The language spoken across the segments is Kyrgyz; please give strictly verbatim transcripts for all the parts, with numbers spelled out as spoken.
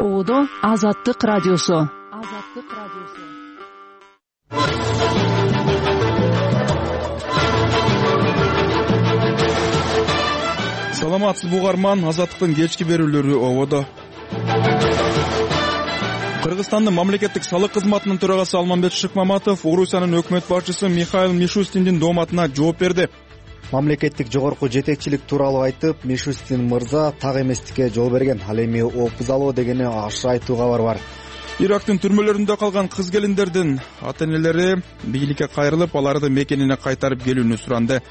Оодо Азаттык радиосу. Азаттык радиосу. Саламатсызбы угарман, Азаттыктын кечки берүүлөрү ободо. Кыргызстандын мамлекеттик салык кызматынын төрагасы Алмамбет Шыкмаматов Орусиянын өкмөт башчысы Михаил Мишустиндин дооматына жооп берди. Мамлекеттик жогорку жетекчилик тууралуу айтып, Мишустин мырза так эместикке жол берген. Ал эми опуз алуу дегени ашык айтуу кабар бар. Ирактын түрмөлөрүндө калган кыз келиндердин ата-энелери бийликке кайрылып, аларды мекенине кайтарып келүүнү суранды.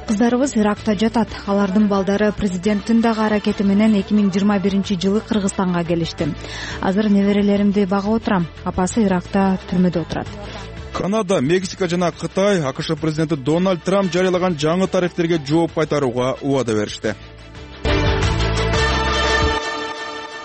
Кыздарыбыз Иракта жатат. Алардын балдары президенттин дагы аракети менен эки миң жыйырма биринчи жылы Кыргызстанга келишти. Азыр неберелеримди багып отурам. Апасы Иракта түрмөдө отурат. Канада, Мексика жана Кытай АКШ президенти Дональд Трамп жарыялаган жаңы тарифтерге жооп кайтарууга убада беришти.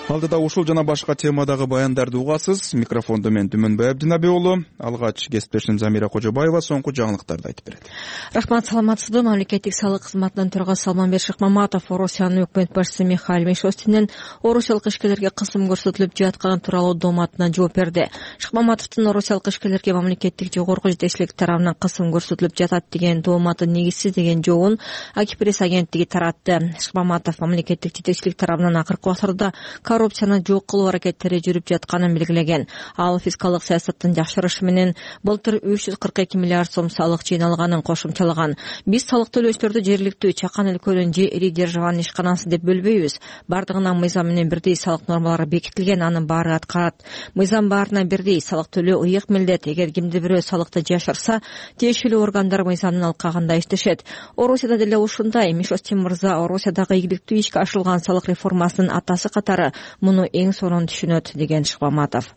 Алдыда ушул жана башка темадагы баяндарды угасыз. Микрофондо мен Түмөнбай Абдинаби уулу. Алгач кесиптешим Замира Кожобаева соңку жаңылыктарды айтып берет. Рахмат, саламатсызбы? Мамлекеттик салык кызматынын төрагасы Алмамбет Шыкмаматов Орусиянын өкмөт башчысы Михаил Мишустиндин орусиялык ишкерлерге кысым көрсөтүлүп жатканы тууралуу дооматына жооп берди. Шыкмаматовдун орусиялык ишкерлерге мамлекеттик жогорку жетекчилик тарабынан кысым көрсөтүлүп жатат деген дооматы негизсиз деген жообун Акипресс агенттиги таратты. Шыкмаматов мамлекеттик жетекчилик тарабынан акыркы убактарда коррупцияны жок кылуу аракеттери жүрүп жатканын белгилеген. Ал фискалдык саясаттын жакшырышы менен былтыр үч жүз кырк эки миллиард сом салык жыйналганын кошумчалаган. Биз салык төлөөчүлөрдү жергиликтүү чакан өлкөнүн же ири державанын ишканасы деп бөлбөйбүз. Бардыгына мыйзам менен бирдей салык нормалары бекитилген, анын баары аткарат. Мыйзам баарына бирдей, салык төлөө ыйык милдет. Эгер кимди бирөө салыкты жашырса, тиешелүү органдар мыйзамдын алкагында иштешет. Орусияда деле ушундай. Мишустин мырза Орусиядагы ийгиликтүү ишке ашырылган салык реформасынын атасы катары муну эң сонун түшүнөт деген Шыкмаматов.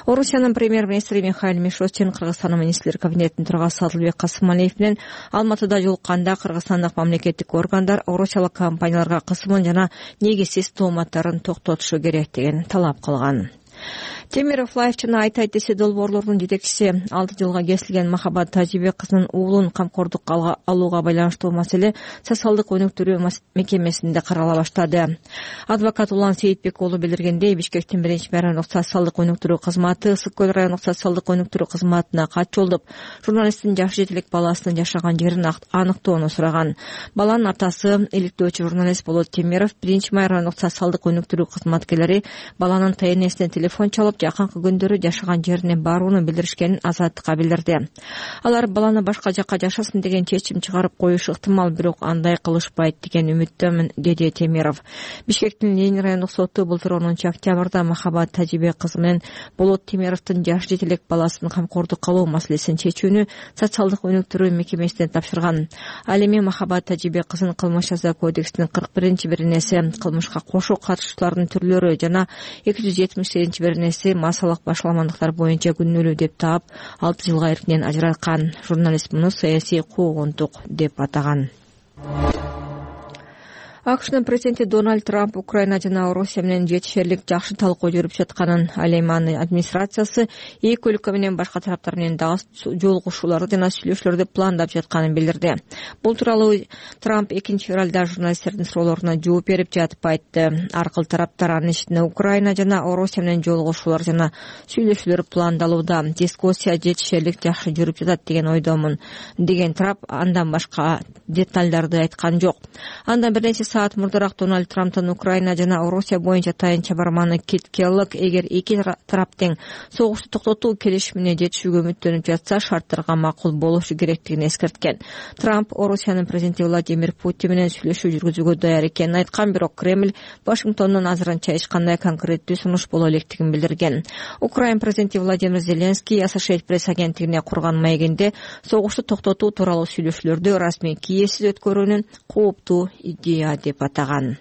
Орусиянын премьер-министри Михаил Мишустин Кыргызстандын министрлер кабинетинин төрагасы Адылбек Касымалиев менен Алматыда жолукканда кыргызстандык мамлекеттик органдар орусиялык компанияларга кысымын жана негизсиз тооматтарын токтотушу керек деген талап кылган. Темиров Лайф жана Айтай десе долбоорлордун жетекчиси алты жылга кесилген Махабат Тажибек кызынын уулун камкордукка алууга байланыштуу маселе социалдык өнүктүрүү мекемесинде карала баштады. Адвокат Улан Сейитбек уулу билдиргендей, Бишкектин биринчи райондук социалдык өнүктүрүү кызматы Ысык көл райондук социалдык өнүктүрүү кызматына кат жолдоп, журналисттин жаш жетилик баласынын жашаган жерин аныктоону сураган. Баланын атасы иликтөөчү журналист Болот Темиров биринчи май райондук социалдык өнүктүрүү кызматкерлери баланын тайнесине телефон чалып, жакынкы күндөрү жашаган жерине барууну билдиришкенин Азаттыкка билдирди. Алар баланы башка жакка жашасын деген чечим чыгарып коюшу ыктымал, бирок андай кылышпайт деген үмүттөмүн, деди Темиров. Бишкектин Ленин райондук соту былтыр онунчу октябрда Махабат Тажибек кызы менен Болот Темировдун жаш жетилик баласын камкордукка алуу маселесин чечүүнү социалдык өнүктүрүү мекемесине тапшырган. Ал эми Махабат Тажибек кызын кылмыш жаза кодексинин кырк биринчи беренеси, кылмышка кошо катышуучулардын түрлөрү жана эки жүз жетимиш сегизинчи беренеси массалык башаламандыктар боюнча күнөөлүү деп таап, алты жылга эркинен ажыраткан. Журналист муну саясий куугунтук деп атаган. АКШнын президенти Дональд Трамп Украина жана Орусия менен жетишерлик жакшы талкуу жүрүп жатканын, ал эми анын администрациясы эки өлкө менен башка тараптар менен дагы жолугушууларды жана сүйлөшүүлөрдү пландап жатканын билдирди. Бул тууралуу Трамп экинчи февралда журналисттердин суроолоруна жооп берип жатып айтты. Аркыл тараптар анын ишине Украина жана Орусия менен жолугушуулар жана сүйлөшүүлөр пландалууда. Дискуссия жетишерлик жакшы жүрүп жатат деген ойдомун деген Трамп андан башка детальдарды айткан жок. Андан бир нече саат мурдараак Дональд Трамптын Украина жана Орусия боюнча тайынча барманы Кит Келлог эгер эки тарап тең согушту токтотуу келишимине жетишүүгө үмүттөнүп жатса, шарттарга макул болушу керектигин эскерткен. Трамп Орусиянын президенти Владимир Путин менен сүйлөшүү жүргүзүүгө даяр экенин айткан, бирок Кремль Вашингтондон азырынча эч кандай конкреттүү сунуш боло электигин билдирген. Украина президенти Владимир Зеленский Associated Press агенттигине курган маегинде согушту токтотуу тууралуу сүйлөшүүлөрдү расмий киесиз өткөрүүнүн кооптуу идея деп атаган.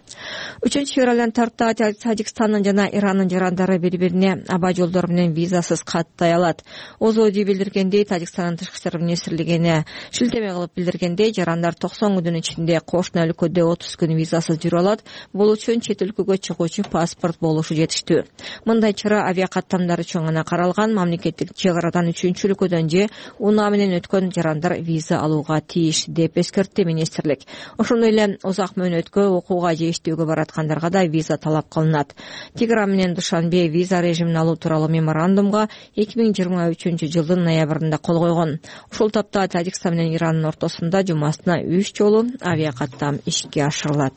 үчүнчү февралдан тарта Тажикстандын жана Ирандын жарандары бири-бирине аба жолдору менен визасыз каттай алат. Озоди билдиргендей, Тажикстандын тышкы иштер министрлигине шилтеме кылып билдиргендей, жарандар токсон күндүн ичинде кошуна өлкөдө отуз күн визасыз жүрө алат. Бул үчүн чет өлкөгө чыгуучу паспорт болушу жетиштүү. Мындай чара авиакаттамдар үчүн гана каралган. Мамлекеттик чек арадан үчүнчү өлкөдөн же унаа менен өткөн жарандар виза алууга тийиш деп эскертти министрлик. Ошондой эле узак мөөнөт өндүрүшкө, окууга же иштөөгө бараткандарга да виза талап кылынат. Тегеран менен Душанбе виза режимин алуу тууралуу меморандумга эки миң жыйырма үчүнчү жылдын ноябрында кол койгон. Ушул тапта Тажикстан менен Ирандын ортосунда жумасына үч жолу авиакаттам ишке ашырылат.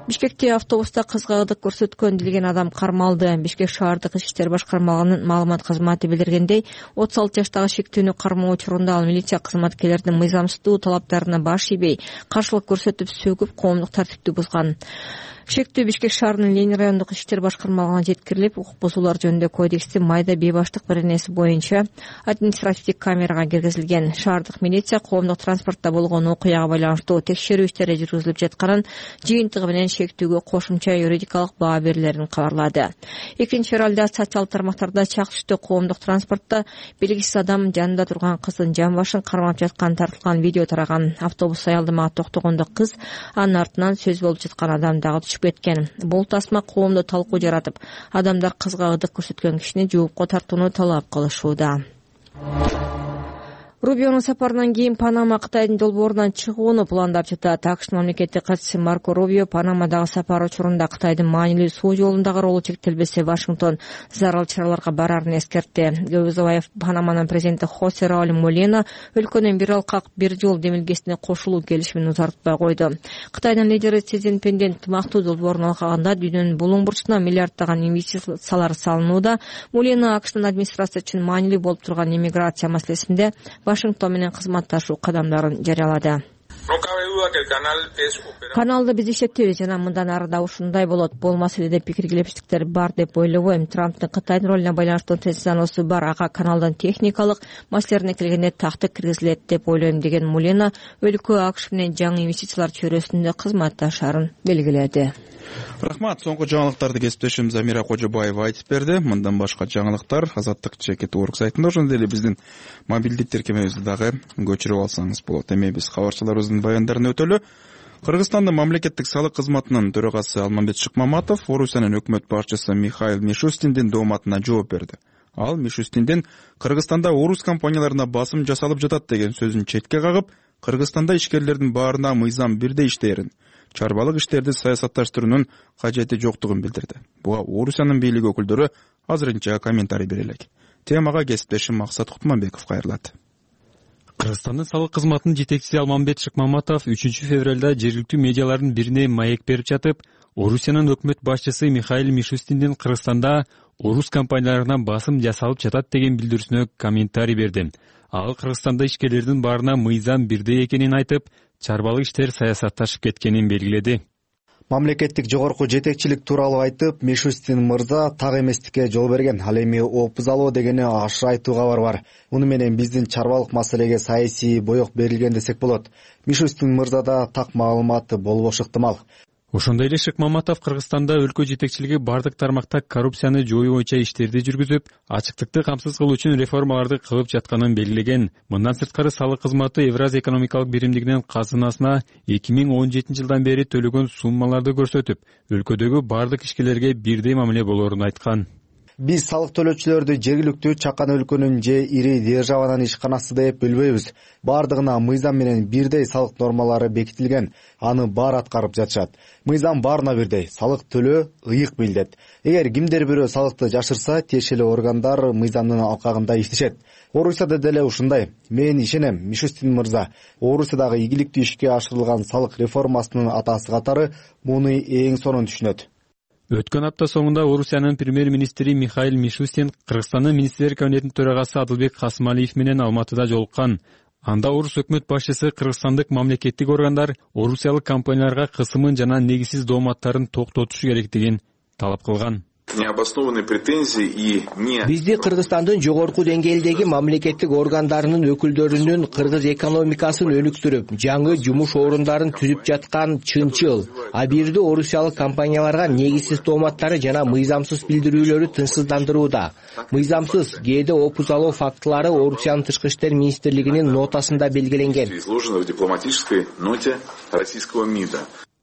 Бишкекте автобуста кызга ырдык көрсөткөн делген адам кармалды. Бишкек шаардык ички иштер башкармалыгынын маалымат кызматы билдиргендей, отуз алты жаштагы шектүүнү кармоо учурунда ал милиция кызматкерлеринин мыйзамсыздуу талаптарына баш ийбей, каршылык көрсөтүп, сөгүп, коомдук тартипти бузган. Шектүү Бишкек шаарынын Ленин райондук иштер башкармалыгына жеткирилип, укук бузуулар жөнүндө кодекстин майда бейбаштык беренеси боюнча административдик камерага киргизилген. Шаардык милиция коомдук транспортто болгон окуяга байланыштуу текшерүү иштери жүргүзүлүп жатканын, жыйынтыгы менен шектүүгө кошумча юридикалык баа берилерин кабарлады. Экинчи февралда социалдык тармактарда чак түштө коомдук транспортто белгисиз адам жанында турган кыздын жан башын кармап жаткан тартылган видео тараган. Автобус аялдамага токтогондо кыз анын артынан сөз болуп жаткан адам дагы кеткен. Бул тасма коомдо талкуу жаратып, адамдар кызга ырдык көрсөткөн кишини жоопко тартууну талап кылышууда. Рубионун сапарынан кийин Панама Кытайдын долбоорунан чыгууну пландап жатат. АКШнын мамлекеттик катчысы Марко Рубио Панамадагы сапар учурунда Кытайдын маанилүү суу жолундагы ролу чектелбесе, Вашингтон зарыл чараларга барарын эскертти. Көп Панаманын президенти Хосе Рауль Молина өлкөнүн бир алкак бир жол демилгесине кошулуу келишимин узартпай койду. Кытайдын лидери Си Цзиньпиндин ынтымактуу долбоорун алганда дүйнөнүн булуң бурчуна миллиарддаган инвестициялар салынууда. Молина АКШнын администрация үчүн маанилүү болуп турган иммиграция маселесинде Вашингтон менен кызматташуу кадамдарын жарыялады. Каналды биз иштетебиз жана мындан ары да ушундай болот. Бул маселеде пикир келишиштиктер бар деп ойлобойм. Трамптын Кытайдын ролуна байланыштуу тезисаносу бар. Ага каналдын техникалык маселелерине келгенде тактык киргизилет деп ойлойм деген Мулена өлкө АКШ менен жаңы инвестициялар чөйрөсүндө кызматташарын белгиледи. Рахмат. Соңку жаңылыктарды кесиптешим Замира Кожобаева айтып берди. Мындан башка жаңылыктар Азаттык чекит орг сайтында, ошондой эле биздин мобилдик тиркемебизди дагы көчүрүп алсаңыз болот. Эми биз кабарчыларыбыздын баяндарын өтөлү. Кыргызстандын мамлекеттик салык кызматынын төрагасы Алмамбет Шыкмаматов Орусиянын өкмөт башчысы Михаил Мишустиндин дооматына жооп берди. Ал Мишустиндин Кыргызстанда орус компанияларына басым жасалып жатат деген сөзүн четке кагып, Кыргызстанда ишкерлердин баарына мыйзам бирдей иштээрин, чарбалык иштерди саясатташтыруунун кажети жоктугун билдирди. Буга Орусиянын бийлик өкүлдөрү азырынча комментарий бере элек. Темага кесиптешим Максат Кутманбеков кайрылат. Кыргызстандын салык кызматынын жетекчиси Алмамбет Шыкмаматов үчүнчү февралда жергиликтүү медиалардын бирине маек берип жатып, Орусиянын өкмөт башчысы Михаил Мишустиндин Кыргызстанда орус компанияларына басым жасалып жатат деген билдирүүсүнө комментарий берди. Ал Кыргызстанда ишкерлердин баарына мыйзам бирдей экенин айтып, чарбалык иштер саясатташып кеткенин белгиледи. Мамлекеттик жогорку жетекчилик тууралуу айтып, Мишустин мырза так эместикке жол берген. Ал эми опуз алуу дегени ашык айтуу кабар бар. Муну менен биздин чарбалык маселеге саясий боек берилген десек болот. Мишустин мырзада так маалыматы болбошу ыктымал. Ошондой эле Шыкмаматов Кыргызстанда өлкө жетекчилиги бардык тармакта коррупцияны жоюу боюнча иштерди жүргүзүп, ачыктыкты камсыз кылуу үчүн реформаларды кылып жатканын белгилеген. Мындан сырткары салык кызматы Евразия экономикалык биримдигинин казынасына эки миң он жетинчи жылдан бери төлөгөн суммаларды көрсөтүп, өлкөдөгү бардык ишкерлерге бирдей мамиле болоорун айткан. Биз салык төлөөчүлөрдү жергиликтүү чакан өлкөнүн же ири державанын ишканасы деп бөлбөйбүз. Бардыгына мыйзам менен бирдей салык нормалары бекитилген. Аны баары аткарып жатышат. Мыйзам баарына бирдей. Салык төлөө ыйык билдет. Эгер кимдер бирөө салыкты жашырса, тиешелүү органдар мыйзамдын алкагында иштешет. Орусияда деле ушундай. Мен ишенем, Мишустин мырза Орусиядагы ийгиликтүү ишке ашырылган салык реформасынын атасы катары муну эң сонун түшүнөт. Өткөн апта соңунда Орусиянын премьер-министри Михаил Мишустин Кыргызстандын министрлер кабинетинин төрагасы Адылбек Касымалиев менен Алматыда жолуккан. Анда орус өкмөт башчысы кыргызстандык мамлекеттик органдар орусиялык компанияларга кысымын жана негизсиз дооматтарын токтотушу керектигин талап кылган. Бизди Кыргызстандын жогорку деңгээлдеги мамлекеттик органдарынын өкүлдөрүнүн кыргыз экономикасын өнүктүрүп, жаңы жумуш орундарын түзүп жаткан чынчыл. А бирде орусиялык компанияларга негизсиз дооматтары жана мыйзамсыз билдирүүлөрү тынчсыздандырууда. Мыйзамсыз кээде опуз алуу фактылары Орусиянын тышкы иштер министрлигинин нотасында белгиленген.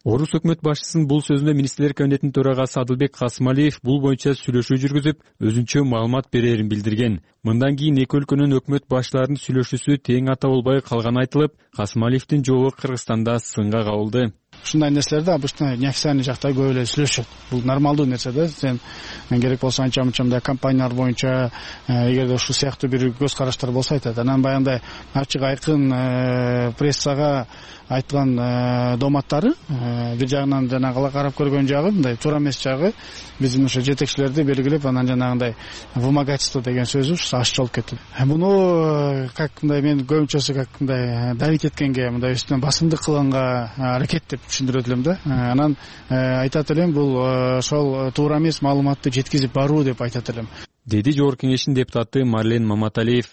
Орус өкмөт башчысынын бул сөзүнө министрлер кабинетинин төрагасы Адылбек Касымалиев бул боюнча сүйлөшүү жүргүзүп, өзүнчө маалымат берерин билдирген. Мындан кийин эки өлкөнүн өкмөт башчыларынын сүйлөшүүсү тең ата болбой калганы айтылып, Касымалиевдин жолу Кыргызстанда сынга кабылды. ушундай нерселерди обычно неофициальный жакта көп эле сүйлөшөт. Бул нормалдуу нерсе да. Сен керек болсо анча мынча мындай компаниялар боюнча эгерде ушул сыяктуу бир көз караштар болсо айтат. Анан баягындай ачык айкын прессага айткан дооматтары бир жагынан жанагы карап көргөн жагы мындай туура эмес жагы биздин ошо жетекчилерди белгилеп, анан жанагындай вымогательство деген сөзү ушу ачык болуп кетти. Муну как мындай мен көбүнчөсү как мындай давить эткенге, мындай үстүнөн басымдык кылганга аракет деп түшүндүрөт элем да. Анан айтат элем бул ошол туура эмес маалыматты жеткизип баруу деп айтат элем, деди Жогорку Кеңештин депутаты Марлен Маматалиев.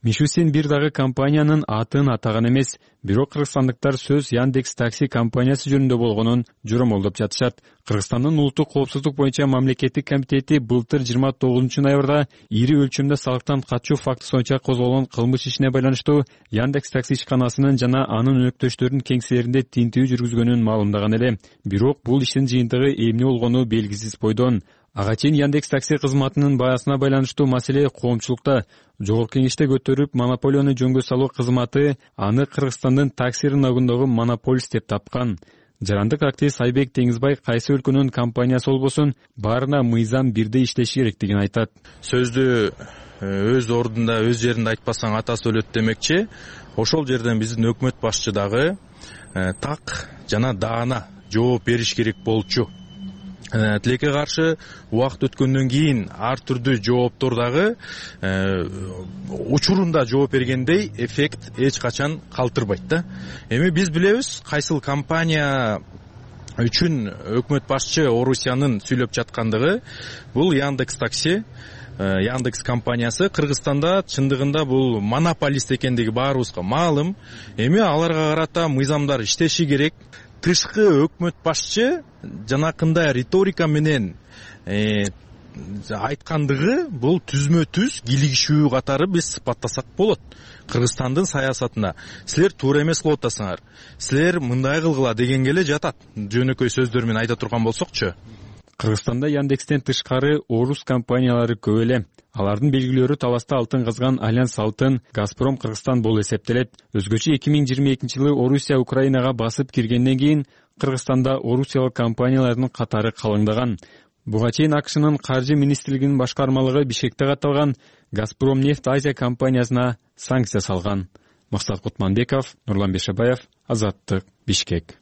Мишустин бир дагы компаниянын атын атаган эмес, бирок кыргызстандыктар сөз Яндекс такси компаниясы жөнүндө болгонун жоромолдоп жатышат. Кыргызстандын улуттук коопсуздук боюнча мамлекеттик комитети былтыр жыйырма тогузунчу ноябрда ири өлчөмдө салыктан качуу фактысы боюнча козголгон кылмыш ишине байланыштуу Яндекс такси ишканасынын жана анын өнөктөштөрүнүн кеңселеринде тинтүү жүргүзгөнүн маалымдаган эле. Бирок бул иштин жыйынтыгы эмне болгону белгисиз бойдон. Ага чейин Яндекс такси кызматынын баасына байланыштуу маселе коомчулукта Жогорку Кеңеште көтөрүп, монополияны жөнгө салуу кызматы аны Кыргызстандын такси рыногундагы монополист деп тапкан. Жарандык активист Айбек Теңизбай кайсы өлкөнүн компаниясы болбосун баарына мыйзам бирдей иштеши керектигин айтат. Сөздү өз ордунда, өз жеринде айтпасаң атасы өлөт демекчи. Ошол жерден биздин өкмөт башчы дагы так жана даана жооп бериш керек болчу. Тилекке каршы убакыт өткөндөн кийин ар түрдүү жооптор дагы учурунда жооп бергендей эффект эч качан калтырбайт да. Эми биз билебиз кайсыл компания үчүн өкмөт башчы Орусиянын сүйлөп жаткандыгы. Бул Яндекс такси, Яндекс компаниясы Кыргызстанда чындыгында бул монополист экендиги баарыбызга маалым. Эми аларга карата мыйзамдар иштеши керек. Тышкы өкмөт башчы жанакындай риторика менен э, айткандыгы бул түзмө түз килигишүү катары биз сыпаттасак болот. Кыргызстандын саясатына силер туура эмес кылып атасыңар, силер мындай кылгыла дегенге эле жатат. Жөнөкөй сөздөр менен айта турган болсокчу. Кыргызстанда Яндекстен тышкары орус компаниялары көп эле. Алардын белгилөөрү таласта алтын казган Альянс Алтын, Газпром Кыргызстан болуп эсептелет. Өзгөчө эки миң жыйырма экинчи жылы Орусия Украинага басып киргенден кийин Кыргызстанда орусиялык компаниялардын катары калыңдаган. Буга чейин АКШнын каржы министрлигинин башкармалыгы Бишкекте катталган Газпром нефть Азия компаниясына санкция салган. Максат Кутманбеков, Нурлан Бешебаев, Азаттык, Бишкек.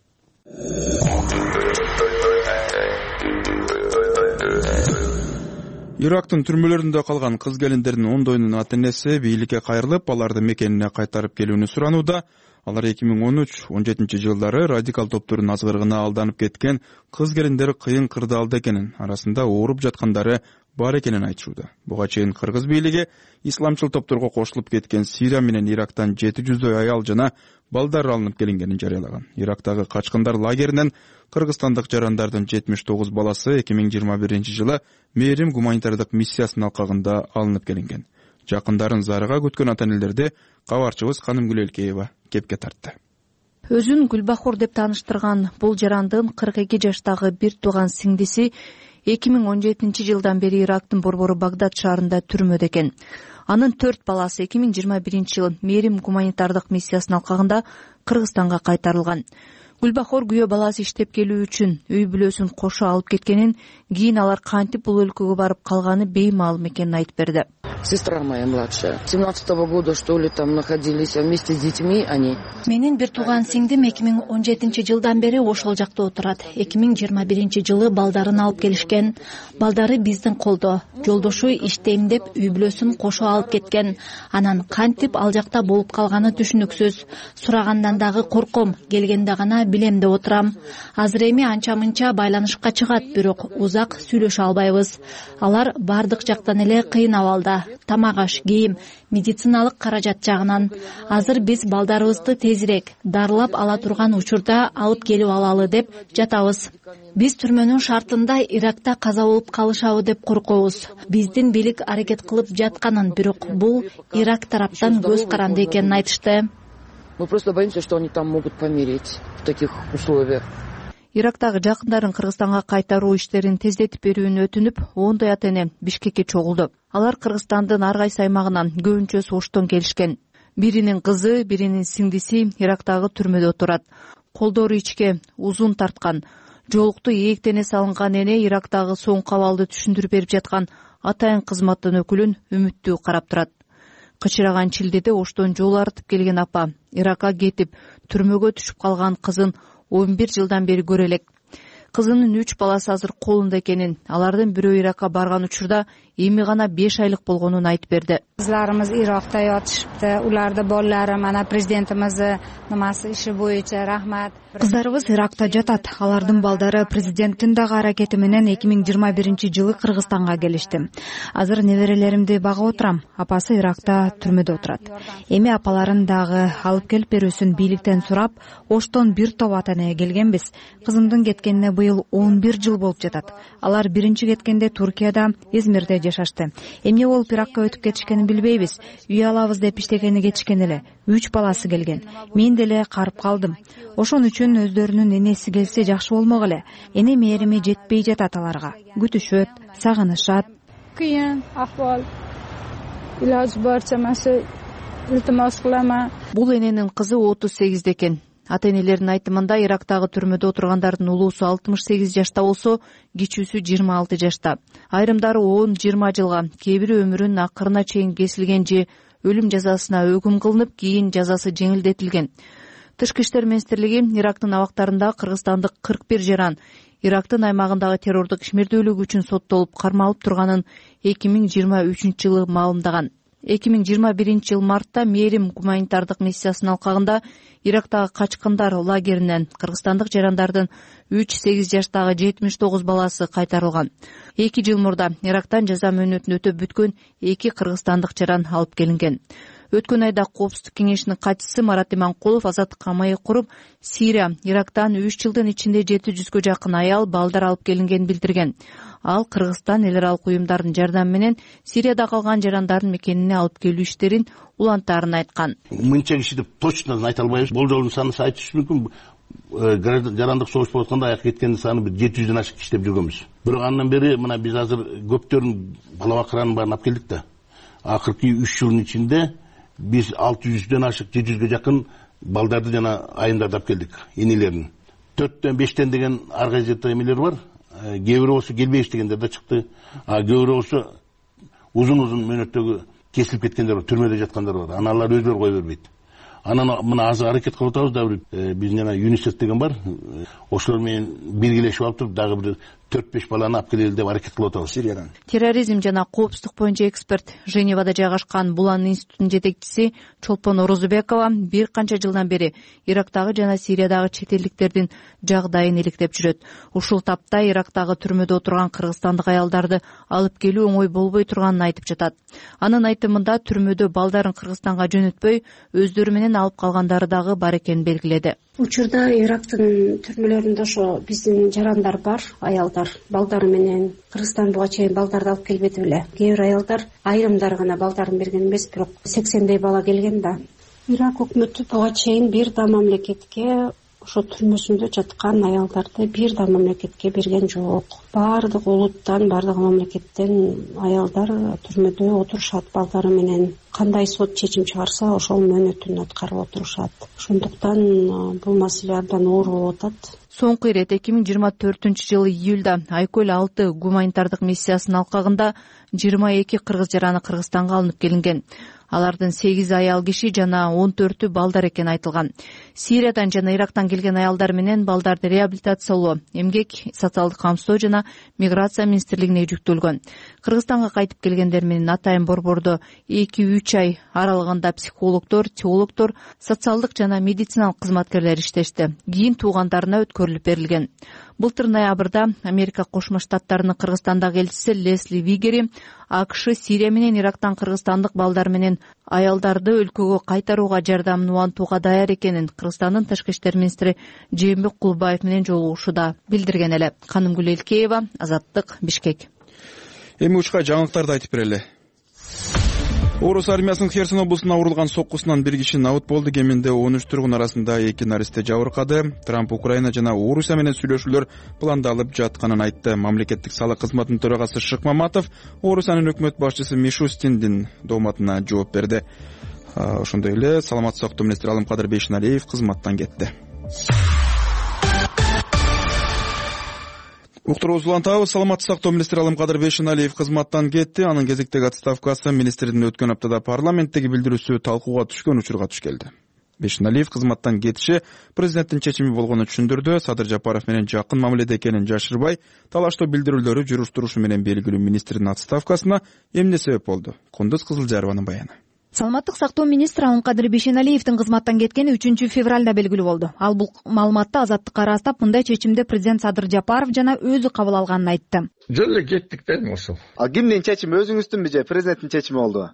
Ирактын түрмөлөрүндө калган кыз келиндердин ондоюнун ата энеси бийликке кайрылып, аларды мекенине кайтарып келүүнү суранууда. Алар эки миң он үч он жетинчи жылдары радикал топтордун азгырыгына алданып кеткен кыз келиндер кыйын кырдаалда экенин, арасында ооруп жаткандары бар экенин айтышууда. Буга чейин кыргыз бийлиги исламчыл топторго кошулуп кеткен Сирия менен Ирактан жети жүздөй аял жана балдар алынып келингенин жарыялаган. Ирактагы качкындар лагеринен кыргызстандык жарандардын жетимиш тогуз баласы эки миң жыйырма биринчи жылы Мээрим гуманитардык миссиясынын алкагында алынып келинген. Жакындарын зарыга күткөн ата энелерди кабарчыбыз Каным Гүлелкеева кепке тартты. Өзүн Гүлбахор деп тааныштырган бул жарандын кырк эки жаштагы бир тууган сиңдиси эки миң он жетинчи жылдан бери Ирактын борбору Багдад шаарында түрмөдө экен. Анын төрт баласы эки миң жыйырма биринчи жылы Мээрим гуманитардык миссиясынын алкагында Кыргызстанга кайтарылган. Гүлбахор күйөө баласы иштеп келүү үчүн үй бүлөсүн кошо алып кеткенин, кийин алар кантип бул өлкөгө барып калганы беймаалым экенин айтып берди. Сестра моя младшая. семнадцатого года, что ли, там находились вместе с детьми они. Менин бир тууган сиңдим эки миң он жетинчи жылдан бери ошол жакта отурат. эки миң жыйырма биринчи жылы балдарын алып келишкен. Балдары биздин колдо. Жолдошу иштейм деп үй бүлөсүн кошо алып кеткен. Анан кантип ал жакта болуп калганы түшүнүксүз. Сурагандан дагы корком, келгенде гана билем деп отурам. Азыр эми анча-мынча байланышка чыгат, бирок узак сүйлөшө албайбыз. Алар бардык жактан эле кыйын абалда. Тамак аш, кийим, медициналык каражат жагынан. Азыр биз балдарыбызды тезирээк дарылап ала турган учурда алып келип алалы деп жатабыз. Биз түрмөнүн шартында Иракта каза болуп калышабы деп коркобуз. Биздин бийлик аракет кылып жатканын, бирок бул Ирак тараптан көз каранды экенин айтышты. Мы просто боимся, что они там могут помереть в таких условиях. Ирактагы жакындарын Кыргызстанга кайтаруу иштерин тездетип берүүнү өтүнүп, ондой ата эне Бишкекке чогулду. Алар Кыргызстандын ар кайсы аймагынан көбүнчөсү Оштон келишкен. Биринин кызы, биринин сиңдиси Ирактагы түрмөдө отурат. колдору ичке узун тарткан, жоолукту ийектене салынган эне Ирактагы соңку абалды түшүндүрүп берип жаткан атайын кызматтын өкүлүн үмүттүү карап турат. Кычыраган Чилдеде оштон жол артып келген апа Иракка кетип түрмөгө түшүп калган кызын он бир жылдан бери көрө элек. Кызынын үч баласы азыр колунда экенин, алардын бирөө Иракка барган учурда эми гана беш айлык болгонун айтып берди. Кызларыбыз Иракта жатышыпты, уларды балдары мана президентимиздин намасы иши боюнча рахмат. Кыздарыбыз Иракта жатат. Алардын балдары президенттин дагы аракети менен эки миң жыйырма биринчи жылы Кыргызстанга келишти. Азыр неберелеримди багып отурам. Апасы Иракта түрмөдө отурат. Эми апаларын дагы алып келип берүүсүн бийликтен сурап, оштон бир топ ата эне келгенбиз. Кызымдын кеткенине быйыл он бир жыл болуп жатат. Алар биринчи кеткенде Туркияда, Измирде жашашты. Эмне болуп Иракка өтүп кетишкенин билбейбиз. Үй алабыз деп иштегени кетишкен эле. Үч баласы келген. Мен деле карып калдым. Ошон үчүн өздөрүнүн энеси келсе жакшы болмок эле. Эне мээрими жетпей жатат аларга. Күтүшөт, сагынышат. Кыйын акыбал. Илаж барча маса илтимос кылам. Бул эненин кызы отуз сегизде экен. Ата энелердин айтымында Ирактагы түрмөдө отургандардын улуусу алтымыш сегиз жашта болсо, кичүүсү жыйырма алты жашта. Айрымдары он жыйырма жылга, кээ бири өмүрүнүн акырына чейин кесилген же өлүм жазасына өкүм кылынып, кийин жазасы жеңилдетилген. Тышкы иштер министрлиги Ирактын абактарында кыргызстандык кырк бир жаран Ирактын аймагындагы террордук ишмердүүлүк үчүн соттолуп кармалып турганын эки миң жыйырма үчүнчү жылы маалымдаган. эки миң жыйырма биринчи жыл мартта Мээрим гуманитардык миссиясынын алкагында Ирактагы качкындар лагеринен кыргызстандык жарандардын үч сегиз жаштагы жетимиш тогуз баласы кайтарылган. эки жыл мурда Ирактан жаза мөөнөтүн өтөп бүткөн эки кыргызстандык жаран алып келинген. Өткөн айда Коопсуздук кеңешинин катчысы Марат Иманкулов азаттыкка маек куруп, Сирия, Ирактан үч жылдын ичинде жети жүзгө жакын аял, балдар алып келингенин билдирген. Ал Кыргызстан эл аралык уюмдардын жардамы менен Сирияда калган жарандардын мекенине алып келүү иштерин улантаарын айткан. Мынча киши деп точно айта албайбыз. Болжолдун санын айтыш мүмкүн. Жарандык согуш болуп атканда аяк кеткендин саны бир жети жүздөн ашык киши деп жүргөнбүз. Бирок андан бери мына биз азыр көптөрүн бала бакыранын баарын алып келдик да. Акыркы үч жылдын ичинде биз алты жүздөн ашык, жети жүзгө жакын балдарды жана айымдарды алып келдик, энелерин. төрттөн бештен деген ар кайсы жерде эмелер бар. Кээ бири болсо келбей иштегендер да чыкты. А кээ бири болсо узун-узун мөөнөттөгү кесилип кеткендер бар, түрмөдө жаткандар бар. Аны алар өздөрү кое бербейт. Анан мына азыр аракет кылып атабыз да, биз жана ЮНИСЕФ деген бар. Ошолор менен биргелешип алып туруп дагы бир төрт беш баланы алып келели деп аракет кылып атабыз Сириядан. Терроризм жана коопсуздук боюнча эксперт, Женевада жайгашкан Булан институтунун жетекчиси Чолпон Орозбекова бир канча жылдан бери Ирактагы жана Сириядагы чет элдиктердин жагдайын иликтеп жүрөт. Ушул тапта Ирактагы түрмөдө отурган кыргызстандык аялдарды алып келүү оңой болбой турганын айтып жатат. Анын айтымында түрмөдө балдарын Кыргызстанга жөнөтпөй, өздөрү менен алып калгандары дагы бар экенин белгиледи. Учурда Ирактын түрмөлөрүндө ошо биздин жарандар бар, аялдар балдары менен. Кыргызстан буга чейин балдарды алып келбеди беле. Кээ бир аялдар айрымдары гана балдарын берген эмес, бирок сексендей бала келген да. Ирак өкмөтү буга чейин бир да мамлекетке ошо түрмөсүндө жаткан аялдарды бир да мамлекетке берген жок. Баардык улуттан, баардык мамлекеттен аялдар түрмөдө отурушат балдары менен. Кандай сот чечим чыгарса, ошол мөөнөтүн аткарып отурушат. Ошондуктан бул маселе абдан оор болуп атат. Соңку ирет эки миң жыйырма төртүнчү жылы июлда Айкөл алты гуманитардык миссиясынын алкагында жыйырма эки кыргыз жараны Кыргызстанга алынып келинген. Алардын сегиз аял киши жана он төртү балдар экени айтылган. Сириядан жана Ирактан келген аялдар менен балдарды реабилитациялоо, эмгек, социалдык камсыздоо жана миграция министрлигине жүктөлгөн. Кыргызстанга кайтып келгендер менен атайын борбордо эки үч ай аралыгында психологдор, теологдор, социалдык жана медициналык кызматкерлер иштешти. Кийин туугандарына өткөрүлүп берилген. Былтыр ноябрда Америка Кошмо Штаттарынын Кыргызстандагы элчиси Лесли Вигери АКШ Сирия менен Ирактан кыргызстандык балдар менен аялдарды өлкөгө кайтарууга жардамын улантууга даяр экенин Кыргызстандын тышкы иштер министри Жээнбек Кулбаев менен жолугушууда билдирген эле. Канымгүл Элкеева, Азаттык, Бишкек. Эми учка жаңылыктарды айтып берели. Орус армиясынын Херсон облусуна урулган соккусунан бир киши набыт болду. Кеминде он үч тургун арасында эки наристе жабыркады. Трамп Украина жана Орусия менен сүйлөшүүлөр пландалып жатканын айтты. Мамлекеттик салык кызматынын төрагасы Шыкмаматов Орусиянын өкмөт башчысы Мишустиндин дооматына жооп берди. Ошондой эле саламаттык сактоо министри Алымкадыр Бейшеналиев кызматтан кетти. Уктуруубузду улантабыз. Саламаттык сактоо министри Алымкадыр Бейшеналиев кызматтан кетти. Анын кезектеги отставкасы министрдин өткөн аптада парламенттеги билдирүүсү талкууга түшкөн учурга туш келди. Бейшеналиев кызматтан кетиши президенттин чечими болгонун түшүндүрдү. Садыр Жапаров менен жакын мамиледе экенин жашырбай, талаштоо билдирүүлөрү жүрүп турушу менен белгилүү министрдин отставкасына эмне себеп болду? Кундуз Кызылжарованын баяны. Саламаттык сактоо министри Алымкадыр Бейшеналиевдин кызматтан кеткени үчүнчү февралда белгилүү болду. Ал бул маалыматты Азаттыкка ырастап, мындай чечимди президент Садыр Жапаров жана өзү кабыл алганын айтты. Жөн эле кеттик да эми ошол. А кимдин чечими, өзүңүздүнбү же президенттин чечими болду?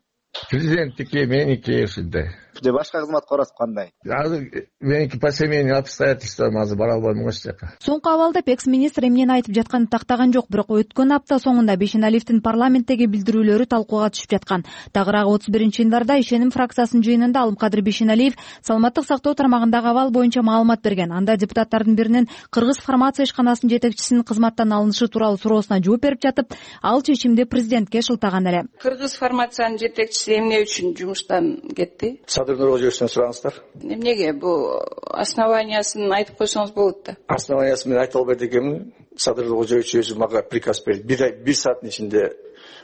Президенттики, меники ушундай. Же башка кызматка барасыз кандай? Азыр меники по семейным обстоятельствам азыр бара албайм ош жака. Соңку абалда экс-министр эмнени айтып жатканын тактаган жок, бирок өткөн апта соңунда Бейшеналиевдин парламенттеги билдирүүлөрү талкууга түшүп жаткан. Тагыраагы отуз биринчи январда ишеним фракциясынын жыйынында Алымкадыр Бейшеналиев саламаттык сактоо тармагындагы абал боюнча маалымат берген. Анда депутаттардын биринин Кыргыз фармация ишканасынын жетекчисинин кызматтан алынышы тууралуу суроосуна жооп берип жатып, ал чечимди президентке шылтаган эле. Кыргыз фармациянын жетекчиси эмне үчүн жумуштан кетти? Садыр Нуркожоевичтен сураңыздар. Эмнеге? Бул основаниясын айтып койсоңуз болот да. Основаниясын мен айта албайт экенмин. Садыр Нуркожоевич өзү мага приказ берди. Бир ай, бир сааттын ичинде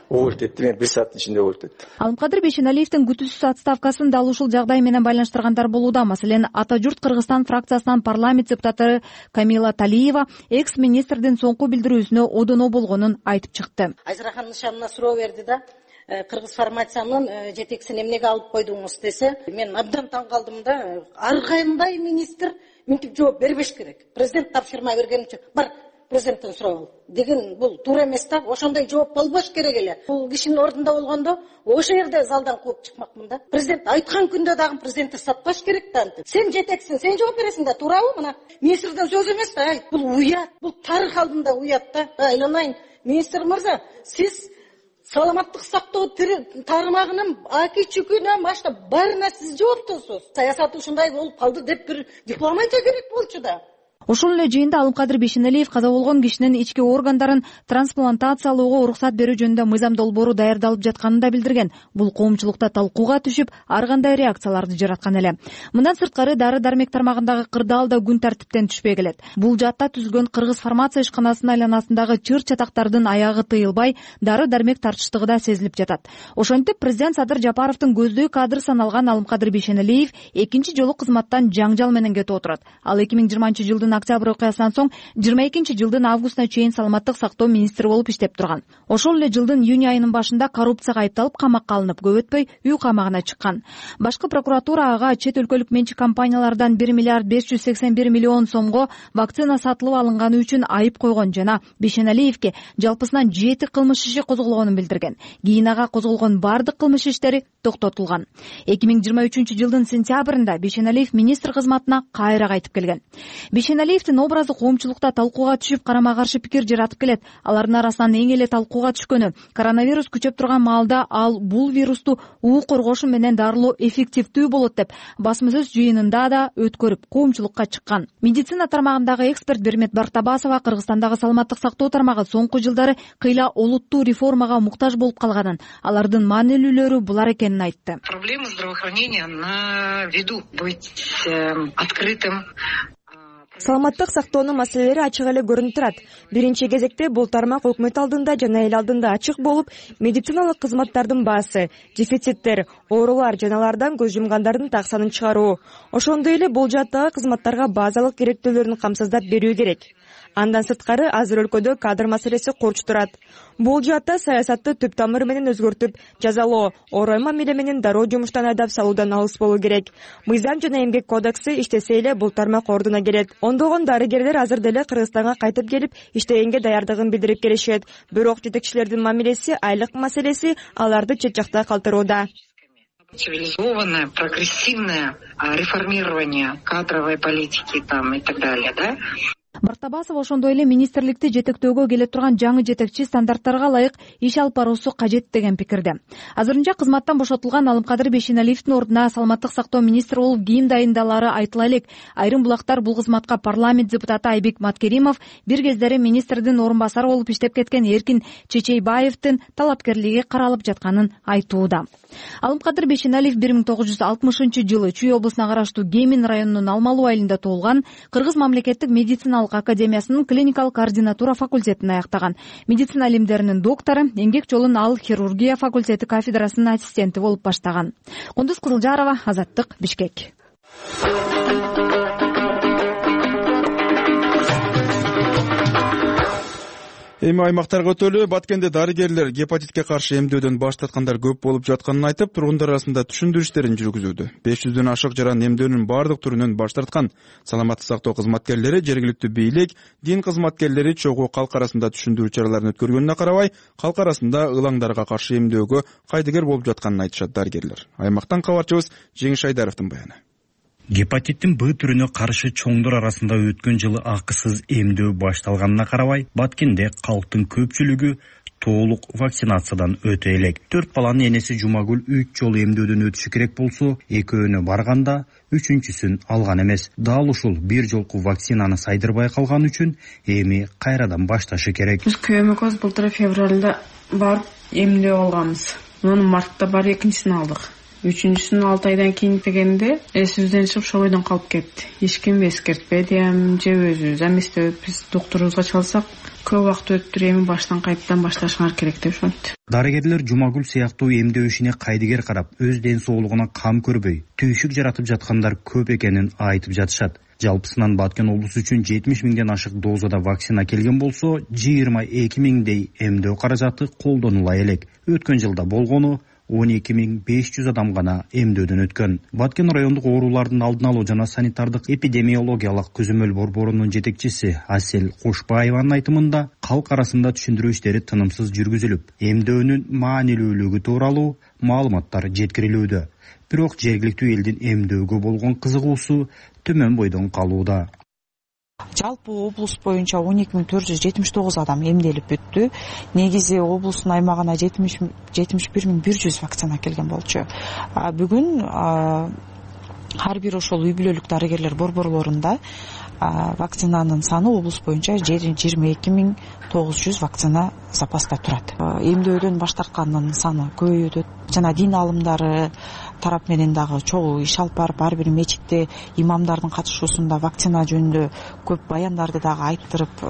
уволить этти, мен бир сааттын ичинде уволить эттим. Алымкадыр Бейшеналиевдин күтүүсүз отставкасын дал ушул жагдай менен байланыштыргандар болууда. Маселен, Ата журт Кыргызстан фракциясынан парламент депутаты Камила Талиева экс-министрдин соңку билдирүүсүнө одоно болгонун айтып чыкты. Айзарахан Нышанына суроо берди да, Кыргыз фармациянын жетекчисин эмнеге алып койдуңуз десе, мен абдан таң калдым да. Ар кандай министр мынтип жооп бербеш керек. Президент тапшырма берген үчүн бар президенттен сурап ал деген бул туура эмес да. Ошондой жооп болбош керек эле. Бул кишинин ордунда болгондо ошол жерде залдан кууп чыкмакмын да. Президент айткан күндө дагы президентти сатпаш керек да. Сен жетексиң, сен жооп бересиң да, туурабы? Мына министрдин сөзү эмес да. Бул уят, бул тарых алдында уят да. Айланайын, министр мырза, сиз саламаттык сактоо тармагынын аки чүкүнө баштап баарына сиз жооптусуз. Саясат ушундай болуп калды деп бир диплом айта керек болчу да. Ошол эле жыйында Алымкадыр Бейшеналиев каза болгон кишинин ички органдарын трансплантациялоого уруксат берүү жөнүндө мыйзам долбоору даярдалып жатканын да билдирген. Бул коомчулукта талкууга түшүп, ар кандай реакцияларды жараткан эле. Мындан сырткары дары-дармек тармагындагы кырдаал да күн тартиптен түшпөй келет. Бул жаатта түзүлгөн Кыргыз фармация ишканасынын айланасындагы чыр-чатактардын аягы тыйылбай, дары-дармек тартыштыгы да сезилип жатат. Ошентип президент Садыр Жапаровдун көздөй кадр саналган Алымкадыр Бейшеналиев экинчи жолу кызматтан жаңжал менен кетип отурат. Ал эки миң жыйырманчы жылдын октябрь окуясынан соң жыйырма экинчи жылдын августуна чейин саламаттык сактоо министри болуп иштеп турган. Ошол эле жылдын июнь айынын башында коррупцияга айыпталып камакка алынып, көп өтпөй үй камагына чыккан. Башкы прокуратура ага чет өлкөлүк менчик компаниялардан бир миллиард беш жүз сексен бир миллион сомго вакцина сатылып алынганы үчүн айып койгон жана Бейшеналиевке жалпысынан жети кылмыш иши козголгонун билдирген. Кийин ага козголгон бардык кылмыш иштери токтотулган. эки миң жыйырма үчүнчү жылдын сентябрында Бейшеналиев министр кызматына кайра кайтып келген. Бейшеналиевдин образы коомчулукта талкууга түшүп, карама каршы пикир жаратып келет. Алардын арасынан эң эле талкууга түшкөнү коронавирус күчөп турган маалда ал бул вирусту уу коргошу менен дарылоо эффективдүү болот деп басма сөз жыйынында да өткөрүп коомчулукка чыккан. Медицина тармагындагы эксперт Бермет Бартабасова Кыргызстандагы саламаттык сактоо тармагы соңку жылдары кыйла олуттуу реформага муктаж болуп калганын, алардын маанилүүлөрү булар экенин айтты. Проблема здравоохранения на виду, быть открытым. Саламаттык сактоонун маселелери ачык эле көрүнүп турат. Биринчи кезекте бул тармак өкмөт алдында жана эл алдында ачык болуп, медициналык кызматтардын баасы, дефициттер, оорулар жана алардан көз жумгандардын так санын чыгаруу. Ошондой эле бул жааттагы кызматтарга базалык керектүүлөрүн камсыздап берүү керек. Андан сырткары азыр өлкөдө кадр маселеси корч турат. Бул жаатта саясатты түп тамыры менен өзгөртүп, жазалоо, орой мамиле менен дароо жумуштан айдап салуудан алыс болуу керек. Мыйзам жана эмгек кодекси иштесе эле бул тармак ордуна келет. Ондогон дарыгерлер азыр деле Кыргызстанга кайтып келип, иштегенге даярдыгын билдирип келишет. Бирок жетекчилердин мамилеси, айлык маселеси аларды чет жакта калтырууда. Цивилизованное, прогрессивное реформирование кадровой политики там и так далее, да? Бартабасов ошондой эле министрликти жетектөөгө келе турган жаңы жетекчи стандарттарга ылайык иш алып баруусу кажет деген пикирде. Азырынча кызматтан бошотулган Алымкадыр Бейшеналиевдин ордуна саламаттык сактоо министри болуп кийим дайындалары айтыла элек. Айрым булактар бул кызматка парламент депутаты Айбек Маткеримов, бир кездери министрдин орун басары болуп иштеп кеткен Эркин Чечейбаевдин талапкерлиги каралып жатканын айтууда. Алымкадыр Бейшеналиев бир миң тогуз жүз алтымышынчы жылы Чүй облусуна караштуу Кемин районунун Алмалуу айылында туулган. Кыргыз мамлекеттик медициналык медициналык академиясынын клиникалык координатура факультетин аяктаган. Медицина илимдеринин доктору, эмгек жолун ал хирургия факультети кафедрасынын ассистенти болуп баштаган. Кундуз Кызылжарова, Азаттык, Бишкек. Эми аймактарга өтөлү. Баткенде дарыгерлер гепатитке каршы эмдөөдөн баш тарткандар көп болуп жатканын айтып, тургундар арасында түшүндүрүштерин жүргүзүүдө. беш жүздөн ашык жаран эмдөөнүн бардык түрүнөн баш тарткан. Саламаттык сактоо кызматкерлери, жергиликтүү бийлик, дин кызматкерлери чогуу калк арасында түшүндүрүү чараларын өткөргөнүнө карабай, калк арасында ылаңдарга каршы эмдөөгө кайдыгер болуп жатканын айтышат дарыгерлер. Аймактан кабарчыбыз Жеңиш Айдаровдун баяны. Гепатиттин Б түрүнө каршы чоңдор арасында өткөн жылы акысыз эмдөө башталганына карабай, Баткенде калктын көпчүлүгү толук вакцинациядан өтө элек. Төрт баланын энеси Жумагүл үч жолу эмдөөдөн өтүшү керек болсо, экөөнө барганда үчүнчүсүн алган эмес. Дал ушул бир жолку вакцинаны сайдырбай калган үчүн эми кайрадан башташы керек. Биз күйөөмөкөз былтыр февралда барып эмдөө алганбыз. Муну мартта барып экинчисин алдык. Үчүнчүсүн алты айдан кийин дегенде эсибизден чыгып ошол бойдон калып кетти. Эч ким эскертпеди, же өзүбүз эместебиз. Биз доктурубузга чалсак, көп убакыт өттүр, эми баштан кайттан башташыңар керек деп ошентти. Дарыгерлер Жумагүл сыяктуу эмдөө ишине кайдыгер карап, өз ден соолугуна кам көрбөй, түйшүк жаратып жаткандар көп экенин айтып жатышат. Жалпысынан Баткен облусу үчүн жетимиш миңден ашык дозада вакцина келген болсо, жыйырма эки миңдей эмдөө каражаты колдонула элек. Өткөн жылда болгону он эки миң беш жүз адам гана эмдөөдөн өткөн. Баткен райондук оорулардын алдын алуу жана санитардык эпидемиологиялык көзөмөл борборунун жетекчиси Асель Кошбаеванын айтымында, калк арасында түшүндүрүү иштери тынымсыз жүргүзүлүп, эмдөөнүн маанилүүлүгү тууралуу маалыматтар жеткирилүүдө. Бирок жергиликтүү элдин эмдөөгө болгон кызыгуусу төмөн бойдон калууда. Жалпы облус боюнча он эки миң төрт жүз жетимиш тогуз адам эмделип бүттү. Негизи облустун аймагына жетимиш бир миң бир жүз вакцина келген болчу. Бүгүн ар бир ошол үй бүлөлүк дарыгерлер борборлорунда вакцинанын саны облус боюнча жыйырма эки миң тогуз жүз вакцина запаста турат. Эмдөөдөн баш тарткандын саны көбөйүүдө жана дин аалымдары тарап менен дагы чогуу иш алып барып, ар бир мечитте имамдардын катышуусунда вакцина жөнүндө көп баяндарды дагы айттырып,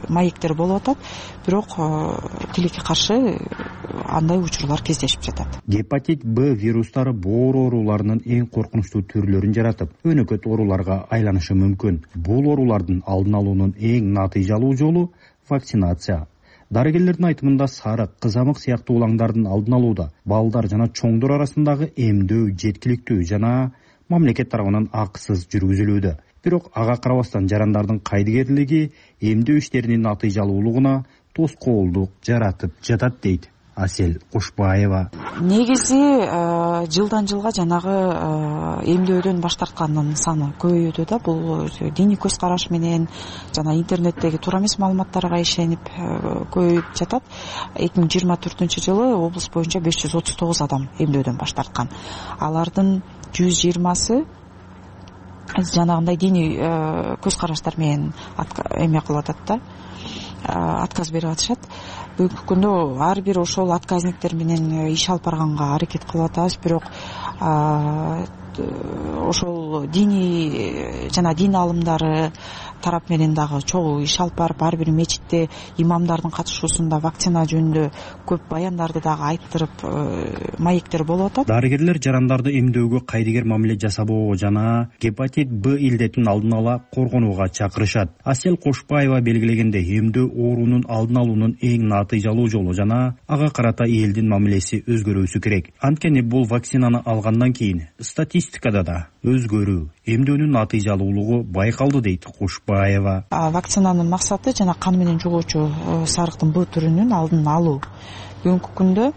маектер болуп атат. Бирок тилекке каршы андай учурлар кездешип жатат. Гепатит Б вирустары боор ооруларынын эң коркунучтуу түрлөрүн жаратып, өнөкөт ооруларга айланышы мүмкүн. Бул оорулардын алдын алуунун эң натыйжалуу жолу вакцинация. Дарыгерлердин айтымында сарык, кызамык сыяктуу улаңдардын алдын алууда балдар жана чоңдор арасындагы эмдөө жеткиликтүү жана мамлекет тарабынан акысыз жүргүзүлүүдө. Бирок ага карабастан жарандардын кайдыгерлиги эмдөө иштеринин натыйжалуулугуна тоскоолдук жаратып жатат дейт Асель Кошбаева. Негизи жылдан жылга жанагы эмдөөдөн баш тарткандын саны көбөйүүдө да. Бул диний көз караш менен жана интернеттеги туура эмес маалыматтарга ишенип көбөйүп жатат. эки миң жыйырма төртүнчү жылы облус боюнча беш жүз отуз тогуз адам эмдөөдөн баш тарткан. Алардын жүз жыйырмасы жанагындай диний көз караштар менен эме кылып атат да, отказ берип атышат. Бүгүнкү күндө ар бир ошол отказниктер менен иш алып барганга аракет кылып атабыз, бирок ошол диний жана дин аалымдары тарап менен дагы чогуу иш алып барып, ар бир мечитте имамдардын катышуусунда вакцина жөнүндө көп баяндарды дагы айттырып, маектер болуп атат. Дарыгерлер жарандарды эмдөөгө кайдыгер мамиле жасабоо жана гепатит Б илдетин алдын ала коргонууга чакырышат. Асель Кошбаева белгилегендей, эмдөө оорунун алдын алуунун эң натыйжалуу жолу жана ага карата элдин мамилеси өзгөрүүсү керек. Анткени бул вакцинаны алгандан кийин статистикада да өзгөрүү, эмдөөнүн натыйжалуулугу байкалды дейт Кошбаева. Вакцинанын максаты жана кан менен жугуучу сарыктын Б түрүнүн алдын алуу. Бүгүнкү күндө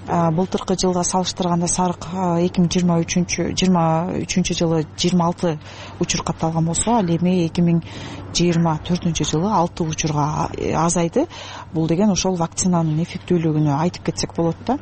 былтыркы жылга салыштырганда сарык эки миң жыйырма үчүнчү жылы жыйырма алты учур катталган болсо, ал эми эки миң жыйырма төртүнчү жылы алты учурга азайды. Бул деген ошол вакцинанын эффектүүлүгүнө айтып кетсек болот да.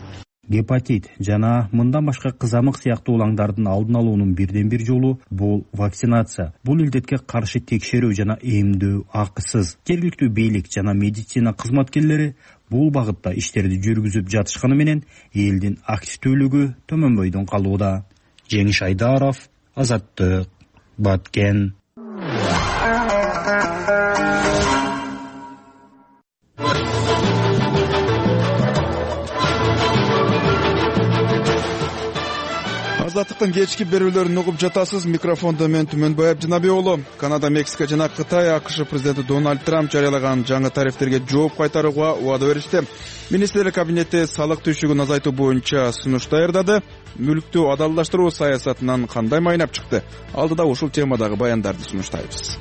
Гепатит жана мындан башка кызамык сыяктуу улаңдардын алдын алуунун бирден бир жолу бул вакцинация. Бул илдетке каршы текшерүү жана эмдөө акысыз. Жергиликтүү бийлик жана медицина кызматкерлери бул багытта иштерди жүргүзүп жатышканы менен элдин активдүүлүгү төмөнбөйдөн калууда. Жеңиш Айдаров, Азаттык, Баткен. азаттыктын кечки берүүлөрүн угуп жатасыз. Микрофондо мен Түмөнбай Абдинабек уулу. Канада, Мексика жана Кытай АКШ президенти Дональд Трамп жарыялаган жаңы тарифтерге жооп кайтарууга убада беришти. Министрлер кабинети салык түшүгүн азайтуу боюнча сунуш даярдады. Мүлктү адалдаштыруу саясатынан кандай майнап чыкты? Алдыда ушул темадагы баяндарды сунуштайбыз.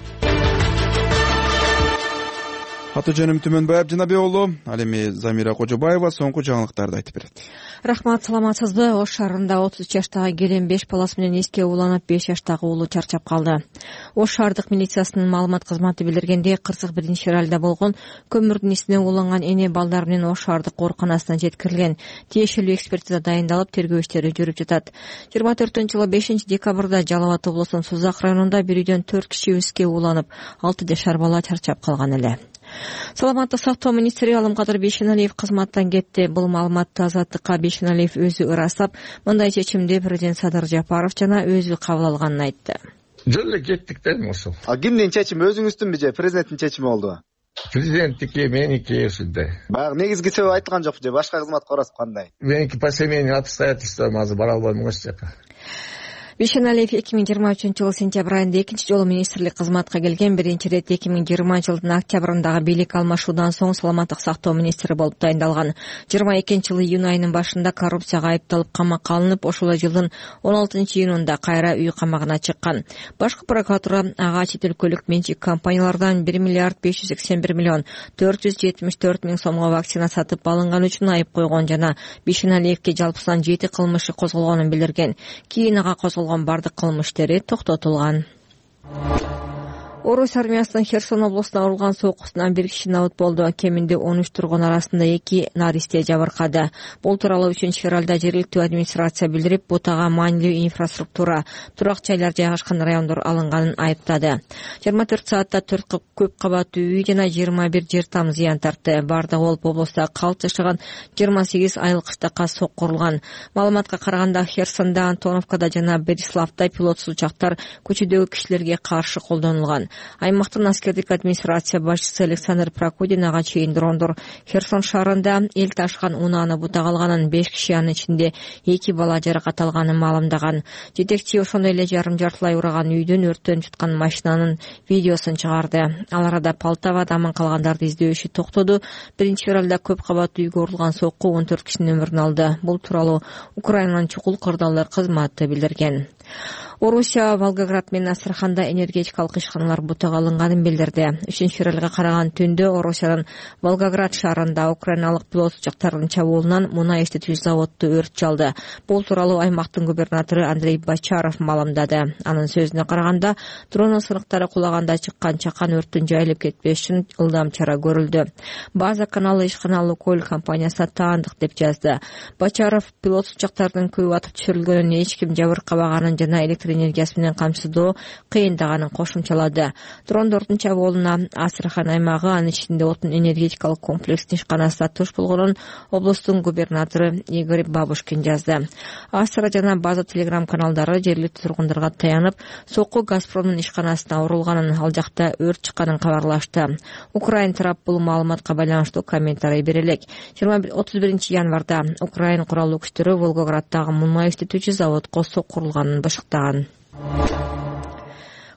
Аты жөнүм Түмөнбай Абдинабек уулу. Ал эми Замира Кожобаева соңку жаңылыктарды айтып берет. Рахмат, саламатсызбы? Ош шаарында отуз үч жаштагы келин беш баласы менен эске ууланып, беш жаштагы уулу чарчап калды. Ош шаардык милициясынын маалымат кызматы билдиргендей, кырсык биринчи февралда болгон көмүрдүн исине ууланган эне балдар менен Ош шаардык ооруканасына жеткирилген. Тиешелүү экспертиза дайындалып, тергөө иштери жүрүп жатат. жыйырма төртүнчү жылы бешинчи декабрда Жалал Абад облусунун Сузак районунда бир үйдөн төрт киши эске ууланып, алты жашар бала чарчап калган эле. Саламаттык сактоо министри Алымкадыр Бейшеналиев кызматтан кетти. Бул маалыматты Азаттыкка Бейшеналиев өзү ырастап, мындай чечимди президент Садыр Жапаров жана өзү кабыл алганын айтты. Жөн эле кеттик дейм ошол. А кимдин чечими, өзүңүздүнбү же президенттин чечими болдубу? Президенттики, меники ушундай. Баягы негизги себеби айтылган жокпу же башка кызматка барасыз кандай? Меники по семейным обстоятельствам азыр бара албайм ош жака. Бейшеналиев эки миң жыйырма үчүнчү жылы сентябрь айында экинчи жолу министрлик кызматка келген. Биринчи ирет эки миң жыйырманчы жылдын октябрындагы бийлик алмашуудан соң саламаттык сактоо министри болуп дайындалган. жыйырма экинчи жылы июнь айынын башында коррупцияга айыпталып камакка алынып, ошол жылдын он алтынчы июнунда кайра үй камагына чыккан. Башкы прокуратура ага чет өлкөлүк менчик компаниялардан бир миллиард беш жүз сексен бир миллион төрт жүз жетимиш төрт миң сомго вакцина сатып алынган үчүн айып койгон жана Бейшеналиевке жалпысынан жети кылмышы козголгонун билдирген. Кийин ага козголгон бардык кылмыш иштери токтотулган. Орус армиясынын Херсон облусуна урулган сокусунан бир киши набыт болду. Кеминде он үч тургун арасында эки наристе жабыркады. Бул тууралуу үчүнчү февралда жергиликтүү администрация билдирип, бутага маанилүү инфраструктура, турак жайлар жайгашкан райондор алынганын айыптады. жыйырма төрт саатта төрт көп кабаттуу үй жана жыйырма бир жер там зыян тартты. Бардыгы болуп облуста калп жашаган жыйырма сегиз айыл кыштакка соккурулган. Маалыматка караганда Херсондо, Антоновкада жана Бериславда пилотсуз учактар көчөдөгү кишилерге каршы колдонулган. Аймактын аскердик администрация башчысы Александр Прокудин ага чейин дрондор Херсон шаарында эл ташкан унааны бутага алганын, беш киши анын ичинде эки бала жаракат алганын маалымдаган. Жетекчи ошондой эле жарым жартылай ураган үйдөн өрттөн чыккан машинанын видеосун чыгарды. Ал арада Полтавада аман калгандарды издөө иши токтоду. Биринчи февралда көп кабаттуу үйгө урулган сокку он төрт кишинин өмүрүн алды. Бул тууралуу Украинанын чукул кырдаалдар кызматы билдирген. Орусия Волгоград менен Астраханда энергетикалык ишканалар бутага алынганын билдирди. үчүнчү февралга караган түндө Орусиянын Волгоград шаарында украиналык пилот учактардын чабуулунан мунай иштетүүчү заводду өрт чалды. Бул тууралуу аймактын губернатору Андрей Бочаров маалымдады. Анын сөзүнө караганда, дронун сыныктары кулаганда чыккан чакан өрттүн жайылып кетпеш үчүн ылдам чара көрүлдү. База каналы ишкана Лукойл компаниясына таандык деп жазды. Бочаров пилот учактардын көбү атып түшүрүлгөнүн, эч ким жабыркабаганын жана электр энергиясы менен камсыздоо кыйындаганын кошумчалады. Дрондордун чабуулуна Астрахан аймагы, анын ичинде отун энергетикалык комплекстин ишканасы туш болгонун облустун губернатору Игорь Бабушкин жазды. Астра жана База телеграм каналдары жергиликтүү тургундарга таянып, сокку Газпромдун ишканасына урулганын, ал жакта өрт чыкканын кабарлашты. Украин тарап бул маалыматка байланыштуу комментарий бере элек. отуз биринчи январда Украин куралдуу күчтөрү Волгограддагы мунай иштетүүчү заводко соккурулганын башыктаган.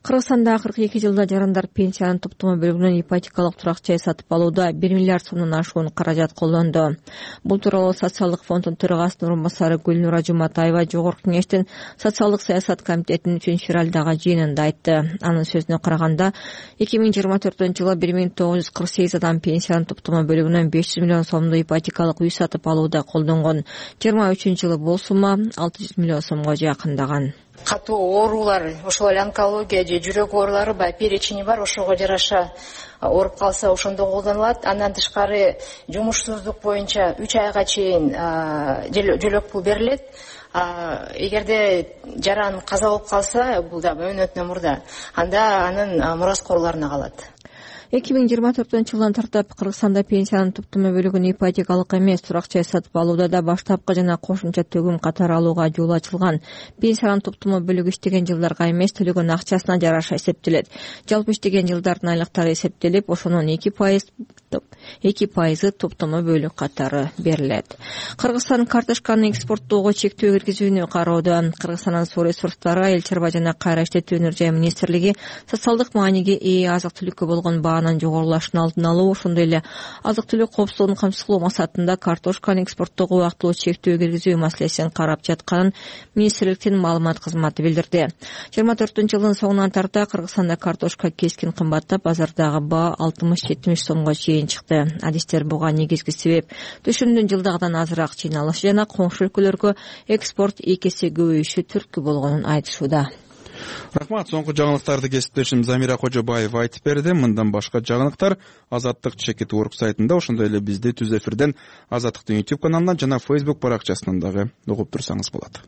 Кыргызстанда кырк эки жылда жарандар пенсиянын топтомо бөлүгүнөн ипотекалык турак жай сатып алууда бир миллиард сомдон ашуун каражат колдонду. Бул тууралуу социалдык фонддун төрагасынын орун басары Гүлнура Жуматаева Жогорку кеңештин социалдык саясат комитетинин үчүнчү февралдагы жыйынында айтты. Анын сөзүнө караганда, эки миң жыйырма төртүнчү жылы бир миң тогуз жүз кырк сегиз адам пенсиянын топтомо бөлүгүнөн беш жүз миллион сомдуу ипотекалык үй сатып алууда колдонгон. жыйырма үчүнчү жылы бул сумма алты жүз миллион сомго жакындаган. Катуу оорулар, ошол эле онкология же жүрөк оорулары бар, перечини бар, ошого жараша ооруп калса ошондо колдонулат. Андан тышкары жумушсуздук боюнча үч айга чейин жөлөк пул берилет. Эгерде жаран каза болуп калса, бул да мөөнөтүнөн мурда, анда анын мураскорлоруна калат. эки миң жыйырма төртүнчү жылдан тартып Кыргызстанда пенсиянын топтомо бөлүгүн ипотекалык эмес, турак жай сатып алууда да баштапкы жана кошумча төгүм катары алууга жол ачылган. Пенсиянын топтомо бөлүгү иштеген жылдарга эмес, төлөгөн акчасына жараша эсептелет. Жалпы иштеген жылдардын айлыктары эсептелип, ошонун эки пайыз эки пайызы топтомо бөлүк катары берилет. Кыргызстан картошканы экспорттоого чектөө киргизүүнү кароодо. Кыргызстандын суу ресурстары, Айыл чарба жана кайра иштетүүнү жай министрлиги социалдык мааниге ээ азык түлүккө болгон баанын жогорулашын алдын алуу, ошондой эле азык түлүк коопсуздугун камсыздоо максатында картошканы экспорттоого убактылуу чектөө киргизүү маселесин карап жатканын министрликтин маалымат кызматы билдирди. жыйырма төртүнчү жылдын соңуна тарта Кыргызстанда картошка кескин кымбаттап, базардагы баа алтымыш жетимиш сомго чейин чыкты. Адистер буга негизги себеп түшүмдүн жылдагыдан азыраак жыйналышы жана коңшу өлкөлөргө экспорт эки эсе көбөйүшү түрткү болгонун айтышууда. Рахмат. Соңку жаңылыктарды кесиптешим Замира Кожобаева айтып берди. Мындан башка жаңылыктар Азаттык чекит орг сайтында, ошондой эле бизди түз эфирден Азаттыктын YouTube каналынан жана Facebook баракчасынан дагы угуп турсаңыз болот.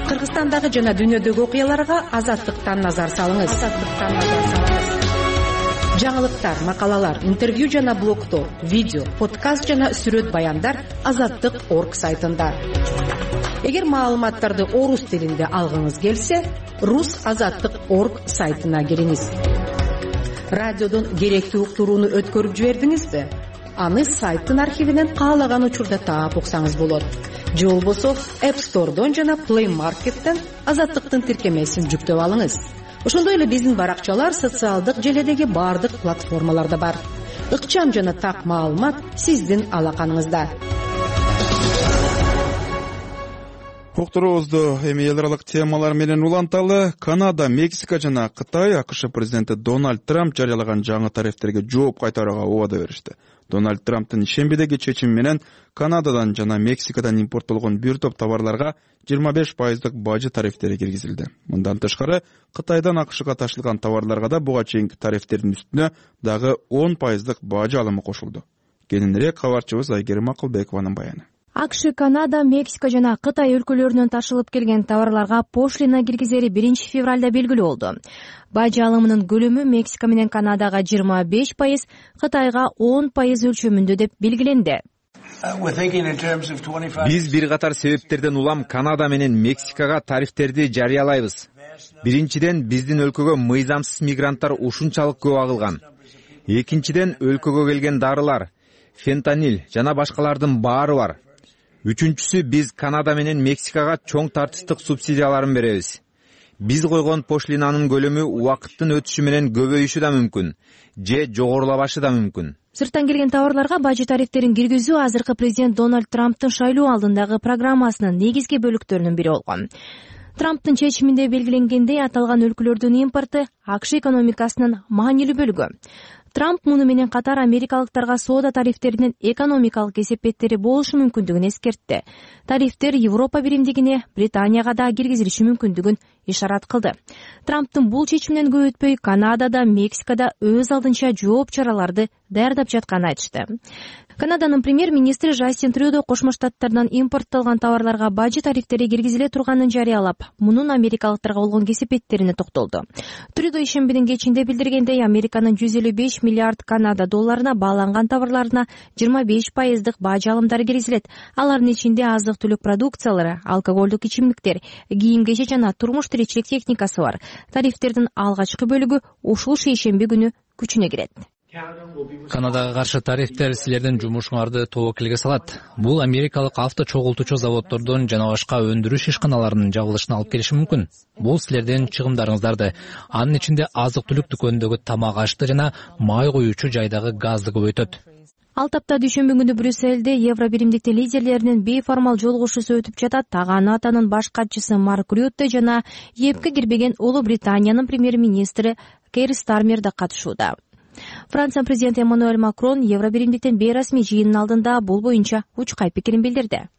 Кыргызстандагы жана дүйнөдөгү окуяларга Азаттыктан назар салыңыз. Азаттыктан назар салыңыз. Жаңылыктар, макалалар, интервью жана блогдор, видео, подкаст жана сүрөт баяндар Азаттык точка орг сайтында. Эгер маалыматтарды орус тилинде алгыңыз келсе, рус азаттык точка орг сайтына кириңиз. Радиодон керектүү уктурууну өткөрүп жибердиңизби? Аны сайттын архивинен каалаган учурда таап уксаңыз болот. Же болбосо App Store'дон жана Play Market'тен Азаттыктын тиркемесин жүктөп алыңыз. Ошондой эле биздин баракчалар социалдык желедеги бардык платформаларда бар. Ыкчам жана так маалымат сиздин алаканыңызда. Уктуруубузду эми эл аралык темалар менен уланталы. Канада, Мексика жана Кытай АКШ президенти Дональд Трамп жарыялаган жаңы тарифтерге жооп кайтарууга убада беришти. Дональд Трамптын ишембидеги чечими менен Канададан жана Мексикадан импорттолгон бир топ товарларга жыйырма беш пайыздык бажы тарифтери киргизилди. Мындан тышкары Кытайдан АКШга ташылган товарларга да буга чейинки тарифтердин үстүнө дагы он пайыздык бажы алымы кошулду. Кененирээк кабарчыбыз Айгерим Акылбекованын баяны. АКШ, Канада, Мексика жана Кытай өлкөлөрүнөн ташылып келген товарларга пошлина киргизери биринчи февралда белгилүү болду. Бажы алымынын көлөмү Мексика менен Канадага жыйырма беш пайыз, Кытайга он пайыз өлчөмүндө деп белгиленди. Биз бир катар себептерден улам Канада менен Мексикага тарифтерди жарыялайбыз. Биринчиден, биздин өлкөгө мыйзамсыз мигранттар ушунчалык көп агылган. Экинчиден, өлкөгө келген дарылар, фентанил жана башкалардын баары бар. Үчүнчүсү, биз Канада менен Мексикага чоң тартыштык субсидияларын беребиз. Биз койгон пошлинанын көлөмү убакыттын өтүшү менен көбөйүшү да мүмкүн, же жогорулабашы да мүмкүн. Сырттан келген товарларга бажы тарифтерин киргизүү азыркы президент Дональд Трамптын шайлоо алдындагы программасынын негизги бөлүктөрүнүн бири болгон. Трамптын чечиминде белгиленгендей, аталган өлкөлөрдүн импорту АКШ экономикасынын маанилүү бөлүгү. Трамп муну менен катар америкалыктарга соода тарифтеринин экономикалык эсепеттери болушу мүмкүндүгүн эскертти. Тарифтер Европа биримдигине, Британияга да киргизилиши мүмкүндүгүн ишарат кылды. Трамптын бул чечиминен көп өтпөй Канадада, Мексикада өз алдынча жооп чараларды даярдап жатканын айтышты. Канаданын премьер-министри Жастин Трюдо Кошмо Штаттардан импорттолгон товарларга бажы тарифтери киргизиле турганын жарыялап, мунун америкалыктарга болгон кесепеттерине токтолду. Трюдо ишембидин кечинде билдиргендей, Американын жүз элүү беш миллиард Канада долларына бааланган товарларына жыйырма беш пайыздык бажы алымдары киргизилет. Алардын ичинде азык-түлүк продукциялары, алкоголдук ичимдиктер, кийим-кечек жана турмуш тиричилик техникасы бар. Тарифтердин алгачкы бөлүгү ушул шейшемби күнү күчүнө кирет. Канадага каршы тарифтер силердин жумушуңарды тобокелге салат. Бул америкалык авто чогултуучу заводдордун жана башка өндүрүш ишканаларынын жабылышына алып келиши мүмкүн. Бул силердин чыгымдарыңыздарды, анын ичинде азык-түлүк дүкөнүндөгү тамак ашты жана май куюучу жайдагы газды көбөйтөт. Ал тапта дүйшөмбү күнү Брюссельде Евро биримдикти лидерлеринин бейформал жолугушуусу өтүп жатат. Ага НАТОнун баш катчысы Марк Рютте жана ЕПК кирбеген Улуу Британиянын премьер-министри Кейр Стармер да катышууда. Франция президенти Эммануэль Макрон Евро биримдиктин бейрасмий жыйынын алдында бул боюнча учкай пикирин билдирди.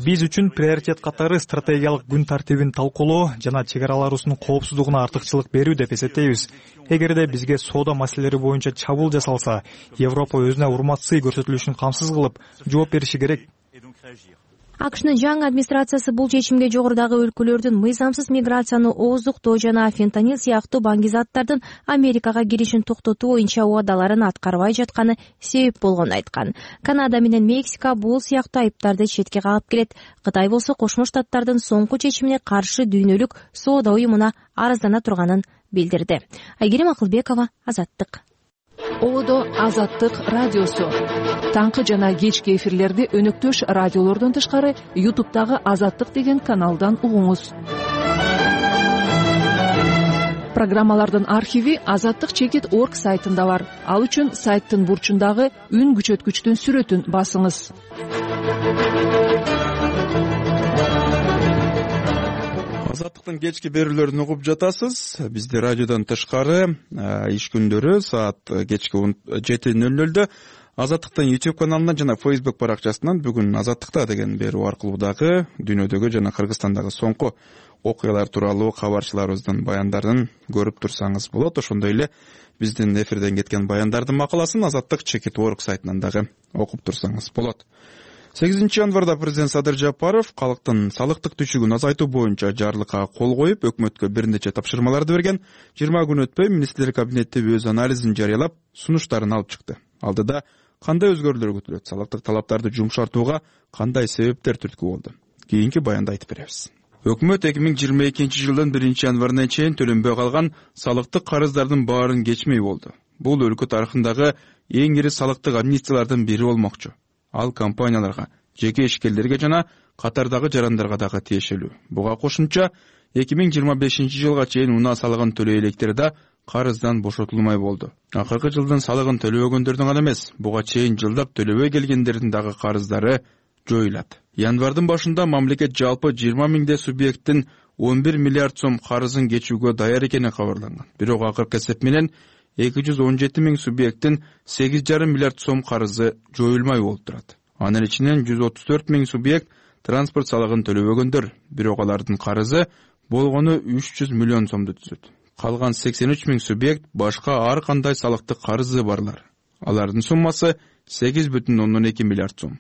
Биз үчүн приоритет катары стратегиялык күн тартибин талкуулоо жана чек араларыбыздын коопсуздугуна артыкчылык берүү деп эсептейбиз. Эгерде бизге соода маселелери боюнча чабуул жасалса, Европа өзүнө урматсый көрсөтүлүшүн камсыз кылып жооп бериши керек. АКШнын жаңы администрациясы бул чечимге жогорудагы өлкөлөрдүн мыйзамсыз миграцияны ооздуктоо жана фентанил сыяктуу баңгизаттардын Америкага киришин токтотуу боюнча убадаларын аткарбай жатканы себеп болгонун айткан. Канада менен Мексика бул сыяктуу айыптарды четке кагып келет. Кытай болсо Кошмо Штаттардын соңку чечимине каршы дүйнөлүк соода уюмуна арыздана турганын билдирди. Айгерим Акылбекова, Азаттык. ободо Азаттык радиосу. Таңкы жана кечки эфирлерди өнөктөш радиолордон тышкары ютубтагы Азаттык деген каналдан угуңуз. Программалардын архиви азаттык чекит точка орг сайтында бар. Ал үчүн сайттын бурчундагы үн күчөткүчтүн сүрөтүн басыңыз. Азаттыктын кечки берүүлөрүн угуп жатасыз. Бизде радиодон тышкары иш күндөрү саат кечки жети нөл нөлдө Азаттыктын YouTube каналынан жана Facebook баракчасынан бүгүн Азаттыкта деген берүү аркылуу дагы дүйнөдөгү жана Кыргызстандагы соңку окуялар тууралуу кабарчыларыбыздын баяндарын көрүп турсаңыз болот. Ошондой эле биздин эфирден кеткен баяндардын макаласын Азаттык чекит точка орг сайтынан дагы окуп турсаңыз болот. сегизинчи январда президент Садыр Жапаров калктын салыктык түшүгүн азайтуу боюнча жарлыкка кол коюп, өкмөткө бир нече тапшырмаларды берген. жыйырма күн өтпөй министрлер кабинети өз анализин жарыялап, сунуштарын алып чыкты. Алдыда кандай өзгөрүүлөр күтүлөт? Салыктык талаптарды жумшартууга кандай себептер түрткү болду? Кийинки баянда айтып беребиз. Өкмөт эки миң жыйырма экинчи жылдын биринчи январына чейин төлөнбөй калган салыктык карыздардын баарын кечмей болду. Бул өлкө тарыхындагы эң ири салыктык амнистиялардын бири болмокчу. Ал компанияларга, жеке ишкерлерге жана катардагы жарандарга дагы тиешелүү. Буга кошумча эки миң жыйырма бешинчи жылга чейин унаа салыгын төлөй электер да карыздан бошотулмай болду. Акыркы жылдын салыгын төлөбөгөндөрдүн гана эмес, буга чейин жылдап төлөбөй келгендердин дагы карыздары жоюлат. Январдын башында мамлекет жалпы жыйырма миңдей субъекттин он бир миллиард сом карызын кечүүгө даяр экени кабарланган. Бирок акыркы эсеп менен эки жүз он жети миң субъекттин сегиз жарым миллиард сом карызы жоюлмай болуп турат. Анын ичинен жүз отуз төрт миң субъект транспорт салыгын төлөбөгөндөр, бирок алардын карызы болгону үч жүз миллион сомду түзөт. Калган сексен үч миң субъект башка ар кандай салыктык карызы барлар. Алардын суммасы сегиз бүтүн ондон эки миллиард сом.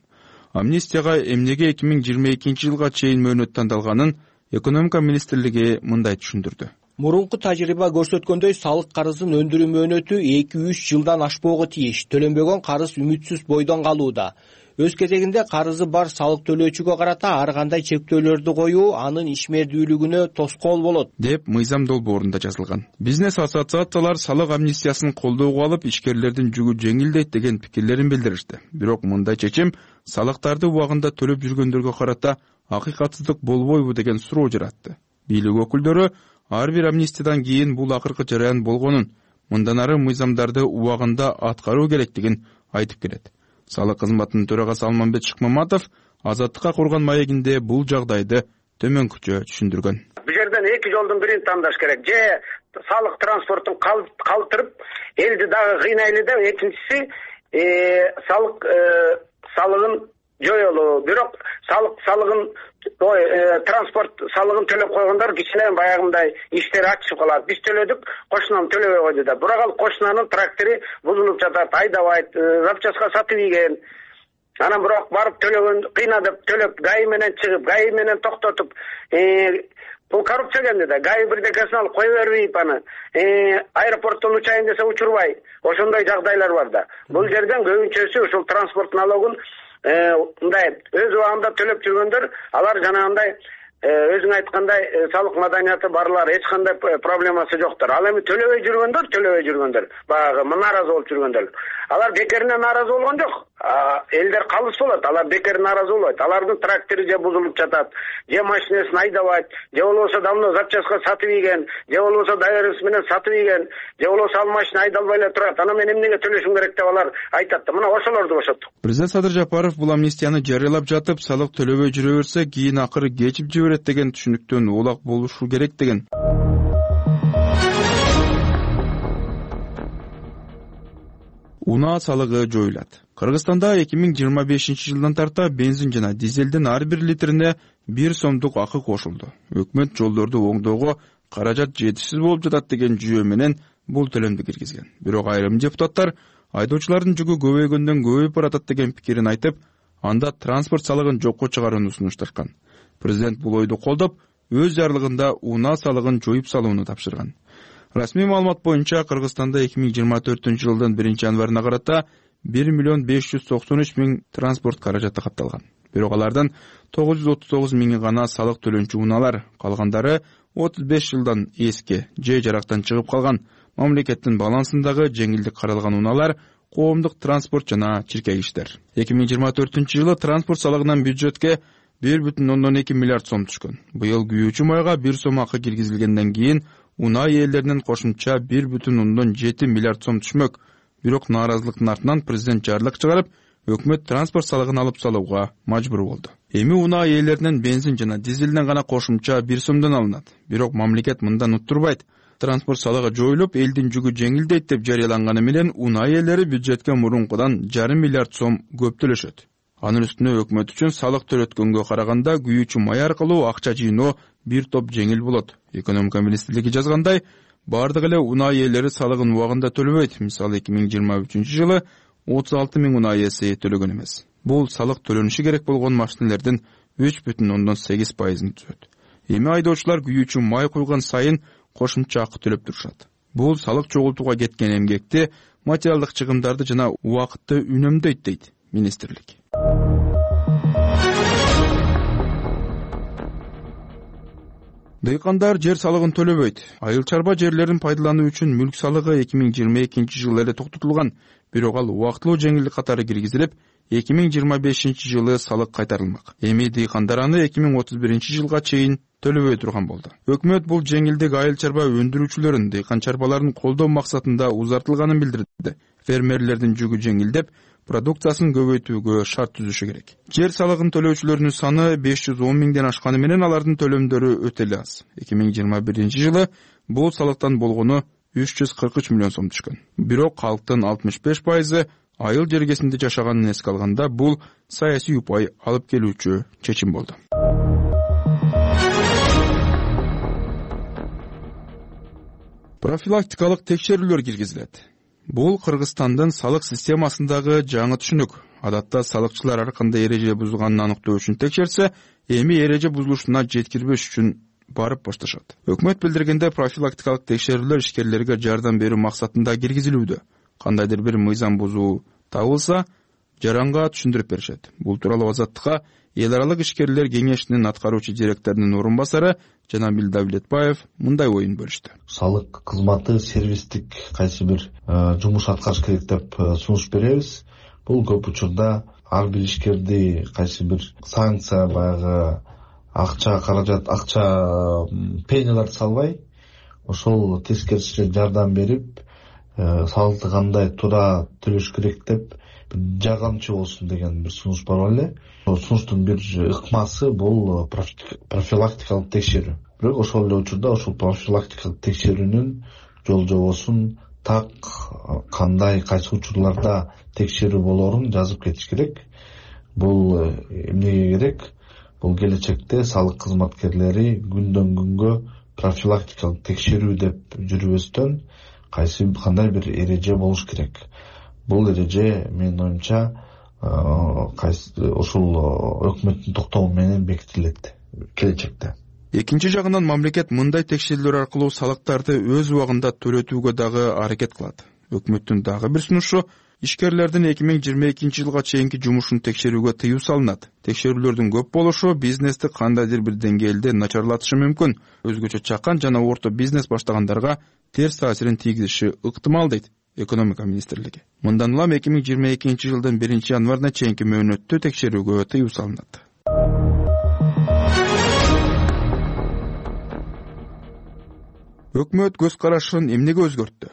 Амнистияга эмнеге эки миң жыйырма экинчи жылга чейин мөөнөт тандалганын экономика министрлиги мындай түшүндүрдү. Мурунку тажрыйба көрсөткөндөй, салык карызын өндүрүү мөөнөтү эки үч жылдан ашпоого тийиш. Төлөнбөгөн карыз үмүтсүз бойдон калууда. Өз кезегинде карызы бар салык төлөөчүгө карата ар кандай чектөөлөрдү коюу анын ишмердүүлүгүнө тоскоол болот, деп мыйзам долбоорунда жазылган. Бизнес ассоциациялар салык амнистиясын колдоого алып, ишкерлердин жүгү жеңилдейт деген пикирлерин билдиришти. Бирок мындай чечим салыктарды убагында төлөп жүргөндөргө карата акыйкатсыздык болбойбу деген суроо жаратты. Бийлик өкүлдөрү ар бир амнистиядан кийин бул акыркы жараян болгонун, мындан ары мыйзамдарды убагында аткаруу керектигин айтып келет. Салык кызматынын төрагасы Алмамбет Шыкмаматов Азаттыкка курган маегинде бул жагдайды төмөнкүчө түшүндүргөн. Бул жерден эки жолдун бирин тандаш керек. Же салык транспортун калтырып, элди дагы кыйнайлы да, экинчиси салык салыгын жоюлуу. Бирок салык салыгын ой транспорт салыгын төлөп койгондор кичине баягындай иштери ачышып калат. Биз төлөдүк, кошунам төлөбөй койду да. Бирок ал кошунанын трактору бузулуп жатат, айдабайт, запчастка сатып ийген. Анан бирок барып төлөгөн, кыйнадып төлөп, ГАИ менен чыгып, ГАИ менен токтотуп, бул коррупция кенде да. ГАИ бирдекесин алып кое бербейт аны. Аэропорттон учайын десе учурбай. Ошондой жагдайлар бар да. Бул жерден көбүнчөсү ушул транспорт налогун мындай өз убагында төлөп жүргөндөр, алар жанагындай өзүң айткандай салык маданияты барлар, эч кандай проблемасы жоктор. Ал эми төлөбөй жүргөндөр, төлөбөй жүргөндөр, баягы нааразы болуп жүргөндөр. Алар бекерине нааразы болгон жок. Элдер калыс болот, алар бекер нааразы болбойт. Алардын трактору же бузулуп жатат, же машинесин айдабайт, же болбосо давно запчастка сатып ийген, же болбосо доверенность менен сатып ийген, же болбосо ал машина айдалбай эле турат. Ана мен эмнеге төлөшүм керек деп алар айтат да. Мына ошолорду бошоттук. Президент Садыр Жапаров бул амнистияны жарыялап жатып, салык төлөбөй жүрө берсе, кийин акыры кечип жиберет деген түшүнүктөн улак болушу керек деген. Унаа салыгы жоюлат. Кыргызстанда эки миң жыйырма бешинчи жылдан тарта бензин жана дизелдин ар бир литрине бир сомдук акы кошулду. Өкмөт жолдорду оңдоого каражат жетишсиз болуп жатат деген жүйө менен бул төлөмдү киргизген. Бирок айрым депутаттар айдоочулардын жүгү көбөйгөндөн көбөйүп баратат деген пикирин айтып, анда транспорт салыгын жокко чыгарууну сунушташкан. Президент бул ойду колдоп, өз жарлыгында унаа салыгын жоюп салууну тапшырган. Расмий маалымат боюнча Кыргызстанда эки миң жыйырма төртүнчү жылдын биринчи январына карата бир миллион беш жүз токсон үч миң транспорт каражаты катталган. Бирок алардан тогуз жүз отуз тогуз миңи гана салык төлөнчү унаалар, калгандары отуз беш жылдан эски, же жарактан чыгып калган мамлекеттин балансындагы жеңилдик каралган унаалар, коомдук транспорт жана чиркей иштер. эки миң жыйырма төртүнчү жылы транспорт салыгынан бюджетке бир бүтүн ондон эки миллиард сом түшкөн. Быйыл күйүүчү майга бир сом акы киргизилгенден кийин унаа ээлеринен кошумча бир бүтүн ондон жети миллиард сом түшмөк. Бирок нааразылыктын артынан президент жарлык чыгарып, өкмөт транспорт салыгын алып салууга мажбур болду. Эми унаа ээлеринен бензин жана дизелден гана кошумча бир сомдон алынат. Бирок мамлекет мындан уттурбайт. Транспорт салыгы жоюлуп, элдин жүгү жеңилдейт деп жарыяланганы менен унаа ээлери бюджетке мурункудан жарым миллиард сом көп төлөшөт. Анын үстүнө өкмөт үчүн салык төлөткөнгө караганда күйүүчү май аркылуу акча жыйноо бир топ жеңил болот. Экономика министрлиги жазгандай, бардык эле унаа ээлери салыгын убагында төлөбөйт. Мисалы эки миң жыйырма үчүнчү жылы отуз алты миң унаа ээси төлөгөн эмес. Бул салык төлөнүшү керек болгон машинелердин үч бүтүн ондон сегиз пайызын түзөт. Эми айдоочулар күйүүчү май куйган сайын кошумча акы төлөп турушат. Бул салык чогултууга кеткен эмгекти, материалдык чыгымдарды жана убакытты үнөмдөйт дейт министрлик. Дыйкандар жер салыгын төлөбөйт. Айыл чарба жерлерин пайдалануу үчүн мүлк салыгы эки миң жыйырма экинчи жылы эле токтотулган, бирок ал убактылуу жеңилдик катары киргизилип, эки миң жыйырма бешинчи жылы салык кайтарылмак. Эми дыйкандар аны эки миң отуз биринчи жылга чейин төлөбөй турган болду. Өкмөт бул жеңилдик айыл чарба өндүрүүчүлөрүн, дыйкан чарбаларын колдоо максатында узартылганын билдирди. Фермерлердин жүгү жеңилдеп, продукциясын көбөйтүүгө шарт түзүшү керек. Жер салыгын төлөөчүлөрдүн саны беш жүз он миңден ашканы менен алардын төлөмдөрү өтө эле аз. эки миң жыйырма биринчи жылы бул салыктан болгону үч жүз кырк үч миллион сом түшкөн. Бирок калктын алтымыш беш пайызы айыл жергесинде жашаганын эске алганда бул саясий упай алып келүүчү чечим болду. Профилактикалык текшерүүлөр киргизилет. Бул Кыргызстандын салык системасындагы жаңы түшүнүк. Адатта салыкчылар ар кандай эреже бузулганын аныктоо үчүн текшерсе, эми эреже бузулушуна жеткирбеш үчүн барып башташат. Өкмөт билдиргенде профилактикалык текшерүүлөр ишкерлерге жардам берүү максатында киргизилүүдө. Кандайдыр бир мыйзам бузуу табылса, жаранга түшүндүрүп беришет. Бул тууралуу Азаттыкка эл аралык ишкерлер кеңешинин аткаруучу директорунун орун басары Жанабил Давлетбаев мындай оюн бөлүштү. Салык кызматы сервистик кайсы бир жумуш аткарыш керек деп сунуш беребиз. Бул көп учурда ар бир ишкерди кайсы бир санкция, баягы акча каражат, акча пеняларды салбай, ошол тескерисинче жардам берип, салыкты кандай туура төлөш керек деп жардамчы болсун деген бир сунуш бар эле. Сунуштун бир ыкмасы бул профилактикалык текшерүү. Бирок ошол эле учурда ошол профилактикалык текшерүүнүн жол жобосун так кандай кайсы учурларда текшерүү болоорун жазып кетиш керек. Бул эмнеге керек? Бул келечекте салык кызматкерлери күндөн күнгө профилактикалык текшерүү деп жүрбөстөн кайсы кандай бир эреже болуш керек. Бул эреже менин оюмча ошол өкмөттүн токтому менен бекитилет келечекте. Экинчи жагынан мамлекет мындай текшерүүлөр аркылуу салыктарды өз убагында төлөтүүгө дагы аракет кылат. Өкмөттүн дагы бир сунушу ишкерлердин эки миң жыйырма экинчи жылга чейинки жумушун текшерүүгө тыюу салынат. Текшерүүлөрдүн көп болушу бизнести кандайдыр бир деңгээлде начарлатышы мүмкүн. Өзгөчө чакан жана орто бизнес баштагандарга терс таасирин тийгизиши ыктымал дейт экономика министрлиги. Мындан улам эки миң жыйырма экинчи жылдын биринчи январына чейинки мөөнөттө текшерүүгө тыюу салынат. Өкмөт көз карашын эмнеге өзгөрттү?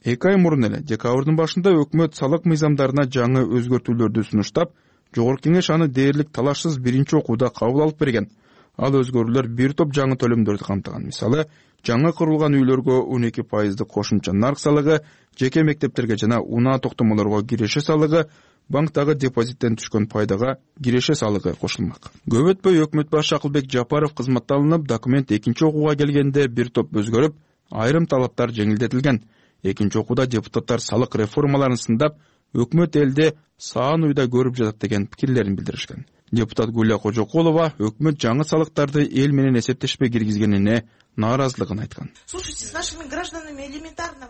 Эки ай мурун эле декабрдын башында өкмөт салык мыйзамдарына жаңы өзгөртүүлөрдү сунуштап, жогорку кеңеш аны дээрлик талашсыз биринчи окууда кабыл алып берген. Ал өзгөрүүлөр бир топ жаңы төлөмдөрдү камтыган. Мисалы, жаңы курулган үйлөргө он эки пайыздык кошумча нарк салыгы, жеке мектептерге жана унаа токтомолорго киреше салыгы, банктагы депозиттен түшкөн пайдага киреше салыгы кошулмак. Көп өтпөй өкмөт башы Акылбек Жапаров кызматталынып, документ экинчи окууга келгенде бир топ өзгөрүп, айрым талаптар жеңилдетилген. Экинчи окууда депутаттар салык реформаларын сындап, өкмөт элде саан уйда көрүп жатат деген пикирлерин билдиришкен. Депутат Гүлия Кожокулова өкмөт жаңы салыктарды эл менен эсептешпей киргизгенине нааразылыгын айткан.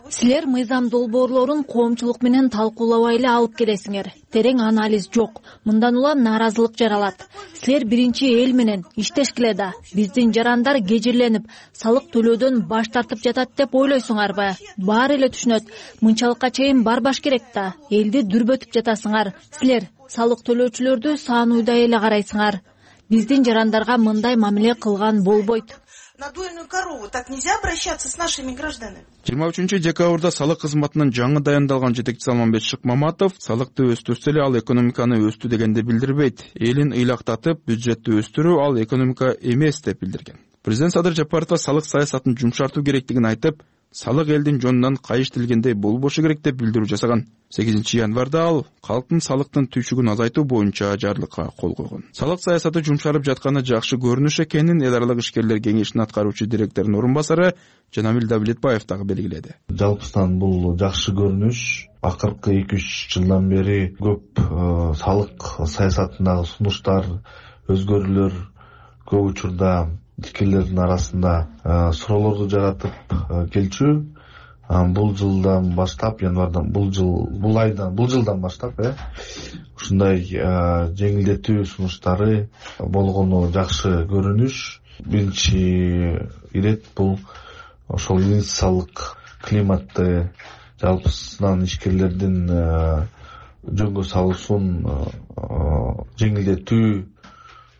Силер мыйзам долбоорлорун коомчулук менен талкуулабай эле алып келесиңер. Терең анализ жок. Мындан улам нааразылык жаралат. Силер биринчи эл менен иштешкиле да. Биздин жарандар кежирленип, салык төлөөдөн баш тартып жатат деп ойлойсуңарбы? Баары эле түшүнөт. Мынчалыкка чейин барбаш керек да. Элди дүрбөтүп жатасыңар. Силер салык төлөөчүлөрдү саан уйдай эле карайсыңар. Биздин жарандарга мындай мамиле кылган болбойт. Надойную корову так нельзя обращаться с нашими гражданами. жыйырма үчүнчү декабрда салык кызматынын жаңы дайындалган жетекчиси Алмамбет Шыкмаматов салыкты өстүрсө эле ал экономиканы өстү дегенди билдирбейт. Элин ыйлактатып, бюджетти өстүрүү ал экономика эмес деп билдирген. Президент Садыр Жапаров салык саясатын жумшартуу керектигин айтып, салык элдин жонунан кайыштилгендей болбошу керек деп билдирүү жасаган. сегизинчи январда ал калктын салыктын түйшүгүн азайтуу боюнча жарлыкка кол койгон. Салык саясаты жумшарып жатканы жакшы көрүнүш экенин эл аралык ишкерлер кеңешинин аткаруучу директорунун орун басары Жанамил Давлетбаев дагы белгиледи. Жалпысынан бул жакшы көрүнүш. Акыркы эки үч жылдан бери көп салык саясатындагы сунуштар, өзгөрүүлөр көп учурда ишкерлердин арасында суроолорду жаратып келчү. Бул жылдан баштап, январдан бул жыл, бул айдан, бул жылдан баштап, э, ушундай жеңилдетүү сунуштары болгону жакшы көрүнүш. Биринчи ирет бул ошол инвестициялык климатты жалпысынан ишкерлердин жөнгө салуусун жеңилдетүү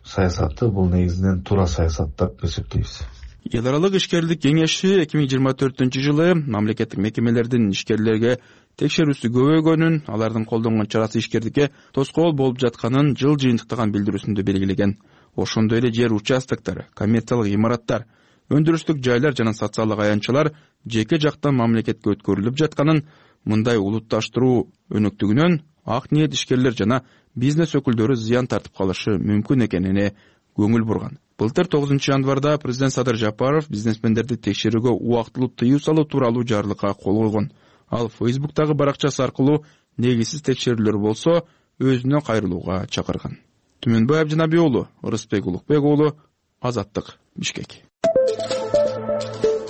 саясаты бул негизинен туура саясат деп эсептейбиз. Эл аралык ишкерлик кеңеши эки миң жыйырма төртүнчү жылы мамлекеттик мекемелердин ишкерлерге текшерүүсү көбөйгөнүн, алардын колдонгон чарасы ишкердикке тоскоол болуп жатканын жыл жыйынтыктаган билдирүүсүндө белгилеген. Ошондой эле жер участоктор, коммерциялык имараттар, өндүрүштүк жайлар жана социалдык аянтчалар жеке жактан мамлекетке өткөрүлүп жатканын, мындай улутташтыруу өнөктүгүнөн ак ниет ишкерлер жана бизнес өкүлдөрү зыян тартып калышы мүмкүн экенине көңүл бурган. Былтыр тогузунчу январда президент Садыр Жапаров бизнесмендерди текшерүүгө убактылуу тыюу салуу тууралуу жарлыкка кол койгон. Ал Фейсбуктагы баракчасы аркылуу негизсиз текшерүүлөр болсо өзүнө кайрылууга чакырган. Түмөнбай Абжанабий уулу, Ырысбек Улукбек уулу, Азаттык, Бишкек.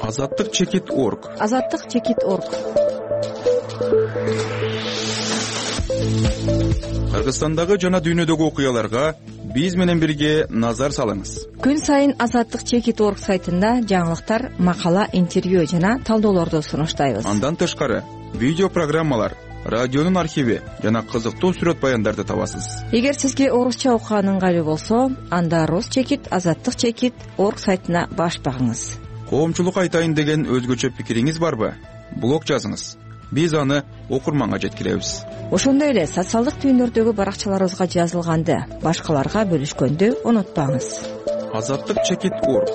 Азаттык чекит точка орг. Азаттык чекит точка орг. Кыргызстандагы жана дүйнөдөгү окуяларга биз менен бирге назар салыңыз. Күн сайын Азаттык чекит точка орг сайтында жаңылыктар, макала, интервью жана талдоолорду сунуштайбыз. Андан тышкары видео программалар, радионун архиви жана кызыктуу сүрөт баяндарды табасыз. Эгер сизге орусча окуган ыңгайлуу болсо, анда Рус чекит, Азаттык чекит точка орг сайтына баш багыңыз. Коомчулук айтайын деген өзгөчө пикириңиз барбы? Блог жазыңыз. Биз аны окурманга жеткиребиз. Ошондой эле социалдык түйүндөрдөгү баракчаларыбызга жазылганды башкаларга бөлүшкөндү унутпаңыз. Азаттык чекит точка орг.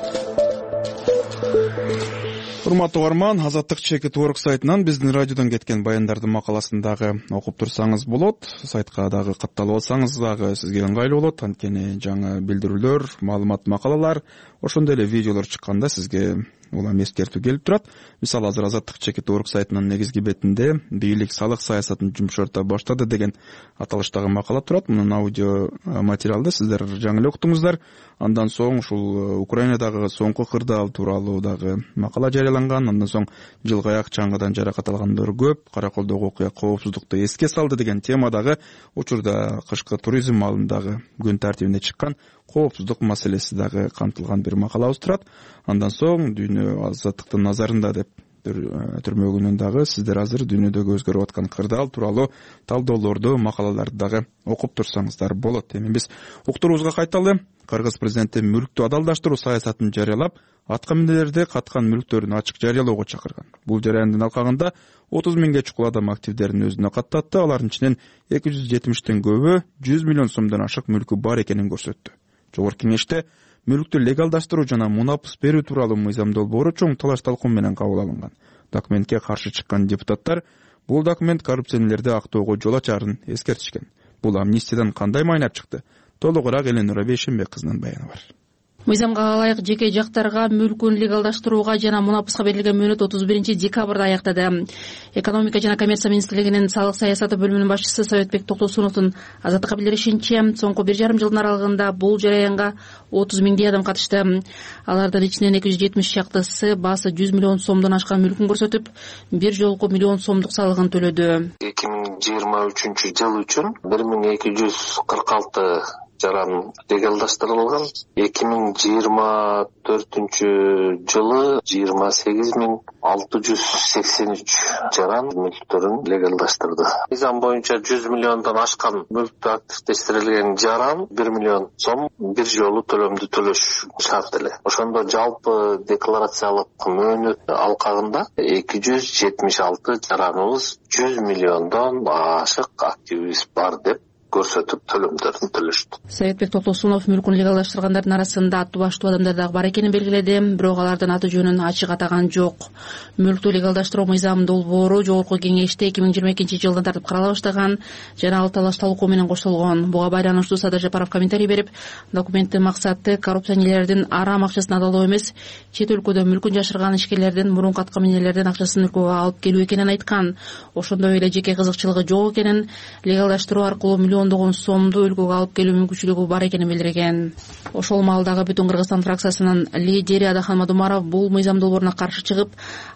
Урматтуу угарман, Азаттык чекит точка орг сайтынан биздин радиодон кеткен баяндардын макаласын дагы окуп турсаңыз болот. Сайтка дагы катталып алсаңыз дагы сизге ыңгайлуу болот. Анткени жаңы билдирүүлөр, маалымат, макалалар, ошондой эле видеолор чыкканда сизге улам эскертүү келип турат. Мисалы, азыр Азаттык чекит точка орг сайтынын негизги бетинде бийлик салык саясатын жумшарта баштады деген аталыштагы макала турат. Мунун аудио материалды сиздер жаңы эле уктуңуздар. Андан соң ушул Украинадагы соңку кырдаал тууралуу дагы макала жарыяланган. Андан соң жылгы аяк чаңгыдан жаракат алгандар көп, Караколдогу окуя коопсуздукту эске салды деген темадагы учурда кышкы туризм маалындагы күн тартибине чыккан коопсуздук маселеси дагы камтылган бир макалабыз турат. Андан соң дүйнө азаттыктын назарында деп түрмөгүнөн дагы сиздер азыр дүйнөдөгү өзгөрүп аткан кырдаал тууралуу талдоолорду, макалаларды дагы окуп турсаңыздар болот. Эми биз уктуруубузга кайталы. Кыргыз президенти мүлктү адалдаштыруу саясатын жарыялап, атка минерлерди каткан мүлктөрүн ачык жарыялоого чакырган. Бул жарандын алкагында отуз миңге чукул адам активдерин өзүнө каттатты. Алардын ичинен эки жүз жетимиштен көбү жүз миллион сомдон ашык мүлкү бар экенин көрсөттү. Жогорку кеңеште мүлктү легалдаштыруу жана мунапыс берүү тууралуу мыйзам долбоору чоң талаш талкуу менен кабыл алынган. Документке каршы чыккан депутаттар бул документ коррупционерлерди актоого жол ачарын эскертишкен. Бул амнистиядан кандай майнап чыкты? Толугураак Эленура Бейшенбек кызынын баяны бар. мыйзамга ылайык жеке жактарга мүлкүн легалдаштырууга жана мунапыска берилген мөөнөт отуз биринчи декабрда аяктады. Экономика жана коммерция министрлигинин салык саясаты бөлүмүнүн башчысы Советбек Токтосуновдун Азаттыкка билдиришинче, соңку бир жарым жылдын аралыгында бул жараянга отуз миңдей адам катышты. Алардын ичинен эки жүз жетимиш чактысы баасы жүз миллион сомдон ашкан мүлкүн көрсөтүп, бир жолку миллион сомдук салыгын төлөдү. эки миң жыйырма үчүнчү жыл үчүн бир миң эки жүз кырк алты жаран легалдаштырылган. эки миң жыйырма төртүнчү жылы жыйырма сегиз миң алты жүз сексен үч жаран мүлктөрүн легалдаштырды. Мыйзам боюнча жүз миллиондон ашкан мүлктү активдештирилген жаран бир миллион сом бир жолу төлөмдү төлөш шарт эле. Ошондо жалпы декларациялык мөөнөт алкагында эки жүз жетимиш алты жараныбыз жүз миллиондон ашык активибиз бар деп көрсөтүп төлөмдөрүн төлөштү. Советбек Токтосунов мүлкүн легалдаштыргандар арасында аттуу баштуу адамдар дагы бар экенин белгиледи, бирок алардын аты жөнүн ачык атаган жок. Мүлктү легалдаштыруу мыйзамы долбоору жогорку кеңеште эки миң жыйырма экинчи жылдан тартып карала баштаган жана ал талаш талкуу менен коштолгон. Буга байланыштуу Садыр Жапаров комментарий берип, документтин максаты коррупционерлердин арам акчасын адалоо эмес, чет өлкөдө мүлкүн жашырган ишкерлердин мурунку аткаминерлердин акчасын өлкөгө алып келүү экенин айткан. Ошондой эле жеке кызыкчылыгы жок экенин, легалдаштыруу аркылуу миллиондогон сомду өлкөгө алып келүү мүмкүнчүлүгү бар экенин билдирген. Ошол маалдагы Бүтүн Кыргызстан фракциясынын лидери Адахан Мадумаров бул мыйзам долбооруна каршы чыгып,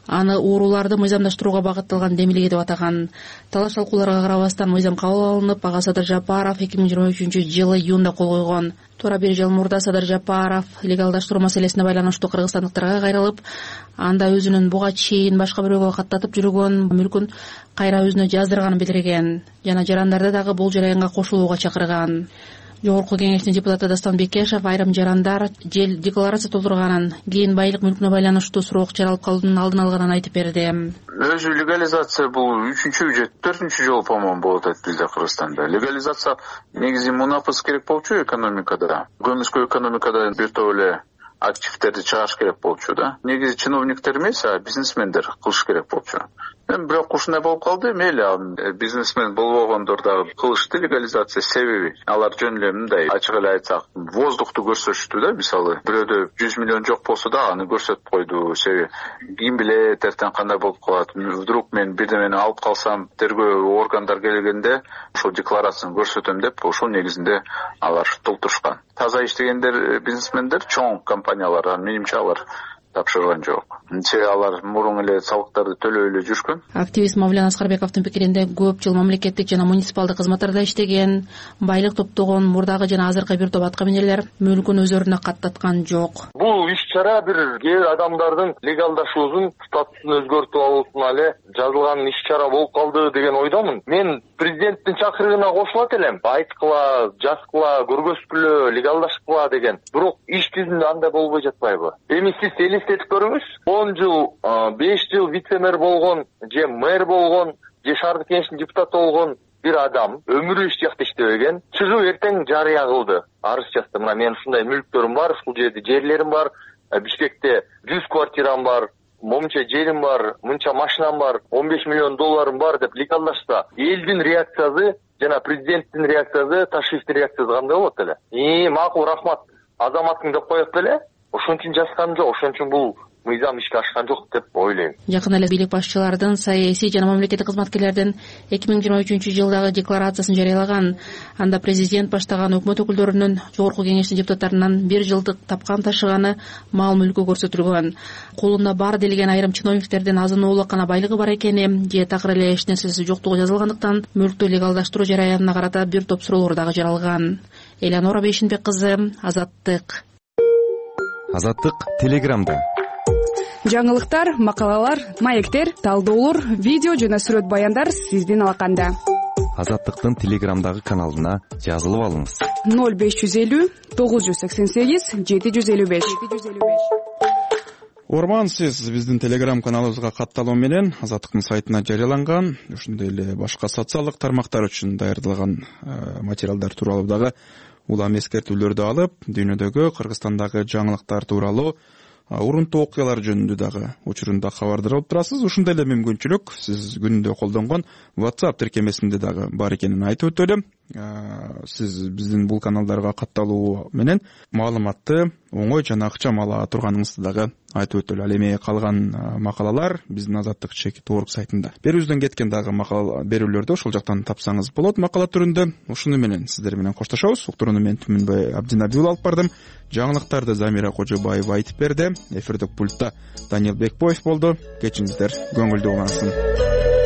аны ууруларды мыйзамдаштырууга багытталган демилге деп атаган. Талаш талкууларга карабастан мыйзам кабыл алынып, ага Садыр Жапаров эки миң жыйырма үчүнчү жылы июнда кол койгон. Туура бир жыл мурда Садыр Жапаров легалдаштыруу маселесине байланыштуу кыргызстандыктарга кайрылып, анда өзүнүн буга чейин башка бирөөгө каттатып жүргөн мүлкүн кайра өзүнө жаздырганын билдирген жана жарандарды дагы бул жараянга кошулууга чакырган. Жогорку кеңештин депутаты Дастан Бекешев айрым жарандар жел декларация толтурганын, кийин байлык мүлкүнө байланыштуу суроо чаралып калуунун алдын алганын айтып берди. Өзү легализация бул үчүнчү же төртүнчү жолу по-моему болот дейт бизде Кыргызстанда. Легализация негизи мунапыс керек болчу экономикада. Көмүскө экономикада бир топ эле активдерди чыгарыш керек болчу да. Негизи чиновниктер эмес, а бизнесмендер кылыш керек болчу. Эми бирок ушундай болуп калды. Мейли бизнесмен болбогондор дагы кылышты легализация. Себеби алар жөн эле мындай ачык эле айтсак, воздухту көрсөтүштү да. Мисалы, бирөөдө жүз миллион жок болсо да аны көрсөтүп койду. Себеби ким билет эртең кандай болуп калат. Вдруг мен бирдемени алып калсам, тергөө органдар келгенде ошол декларацияны көрсөтөм деп, ошол негизинде алар толтурушкан. Таза иштегендер бизнесмендер, чоң компаниялар, менимче алар тапшырган жок. Себеби алар мурун эле салыктарды төлөй эле жүргөн. Активист Мавлен Аскарбековдун пикиринде көп жыл мамлекеттик жана муниципалдык кызматтарда иштеген, байлык топтогон мурдагы жана азыркы бир топ аткаминерлер мүлкүн өздөрүнө каттаткан жок. Бул иш-чара бир кээ адамдардын легалдашуусун статусун өзгөртүп алуусуна эле жазылган иш-чара болуп калды деген ойдомун. Мен президенттин чакырыгына кошулат элем. Айткыла, жазгыла, көргөзгүлө, легалдашкыла деген. Бирок иш жүзүндө андай болбой жатпайбы? Эми сиз элестетип көрүңүз. он жыл, беш жыл вице-мэр болгон, же мэр болгон, же шаардык кеңештин депутаты болгон бир адам өмүрү эч жакта иштебеген, чыгып эртең жарыя кылды. Арыз жазды. Мына мен ушундай мүлктөрүм бар, ушул жерде жерлерим бар, Бишкекте жүз квартирам бар, момунча жерим бар, мынча машинам бар, он беш миллион долларым бар деп легалдашса, элдин реакциясы жана президенттин реакциясы, Ташиевдин реакциясы кандай болот эле? И макул, рахмат, азаматың деп коет беле? Ошон үчүн жазган жок, ошон үчүн бул мыйзам ишке ашкан жок деп ойлойм. Жакын эле бийлик башчылардын, саясий жана мамлекеттик кызматкерлердин эки миң жыйырма үчүнчү жылдагы декларациясын жарыялаган. Анда президент баштаган өкмөт өкүлдөрүнүн, жогорку кеңештин депутаттарынан бир жылдык тапкан ташыганы, мал мүлкү көрсөтүлгөн. Колунда бар делген айрым чиновниктердин азын-оолак гана байлыгы бар экени, же такыр эле эч нерсеси жоктугу жазылгандыктан мүлктү легалдаштыруу жараянына карата бир топ суроолор дагы жаралган. Элеонора Бейшинбек кызы, Азаттык. Азаттык Телеграмда. Жаңылыктар, макалалар, маектер, талдоолор, видео жана сүрөт баяндар сиздин алаканда. Азаттыктын Телеграмдагы каналына жазылып алыңыз. ноль беш жүз элүү тогуз жүз сексен сегиз жети жүз элүү беш. Орман, сиз биздин Телеграм каналыбызга катталуу менен Азаттыктын сайтына жарыяланган, ошондой эле башка социалдык тармактар үчүн даярдалган материалдар тууралуу дагы улам эскертүүлөрдү алып, дүйнөдөгү, Кыргызстандагы жаңылыктар тууралуу урунтуу окуялар жөнүндө дагы учурунда кабардар алып турасыз. Ушундай эле мүмкүнчүлүк сиз күнүндө колдонгон WhatsApp тиркемесинде дагы бар экенин айтып өтөлү. сиз биздин бул каналдарга катталуу менен маалыматты оңой жана ыкчам ала турганыңызды дагы айтып өтөлү. Ал эми калган макалалар биздин Азаттык чекит орг сайтында. Берүүбүздөн кеткен дагы макала берүүлөрдү ошол жактан тапсаңыз болот макала түрүндө. Ушуну менен сиздер менен коштошобуз. Уктурууну мен Түмүнбай Абдинабиул алып бардым. Жаңылыктарды Замира Кожобаева айтып берди. Эфирдик пультта Даниил Бекбоев болду. Кечиңиздер көңүлдүү улансын.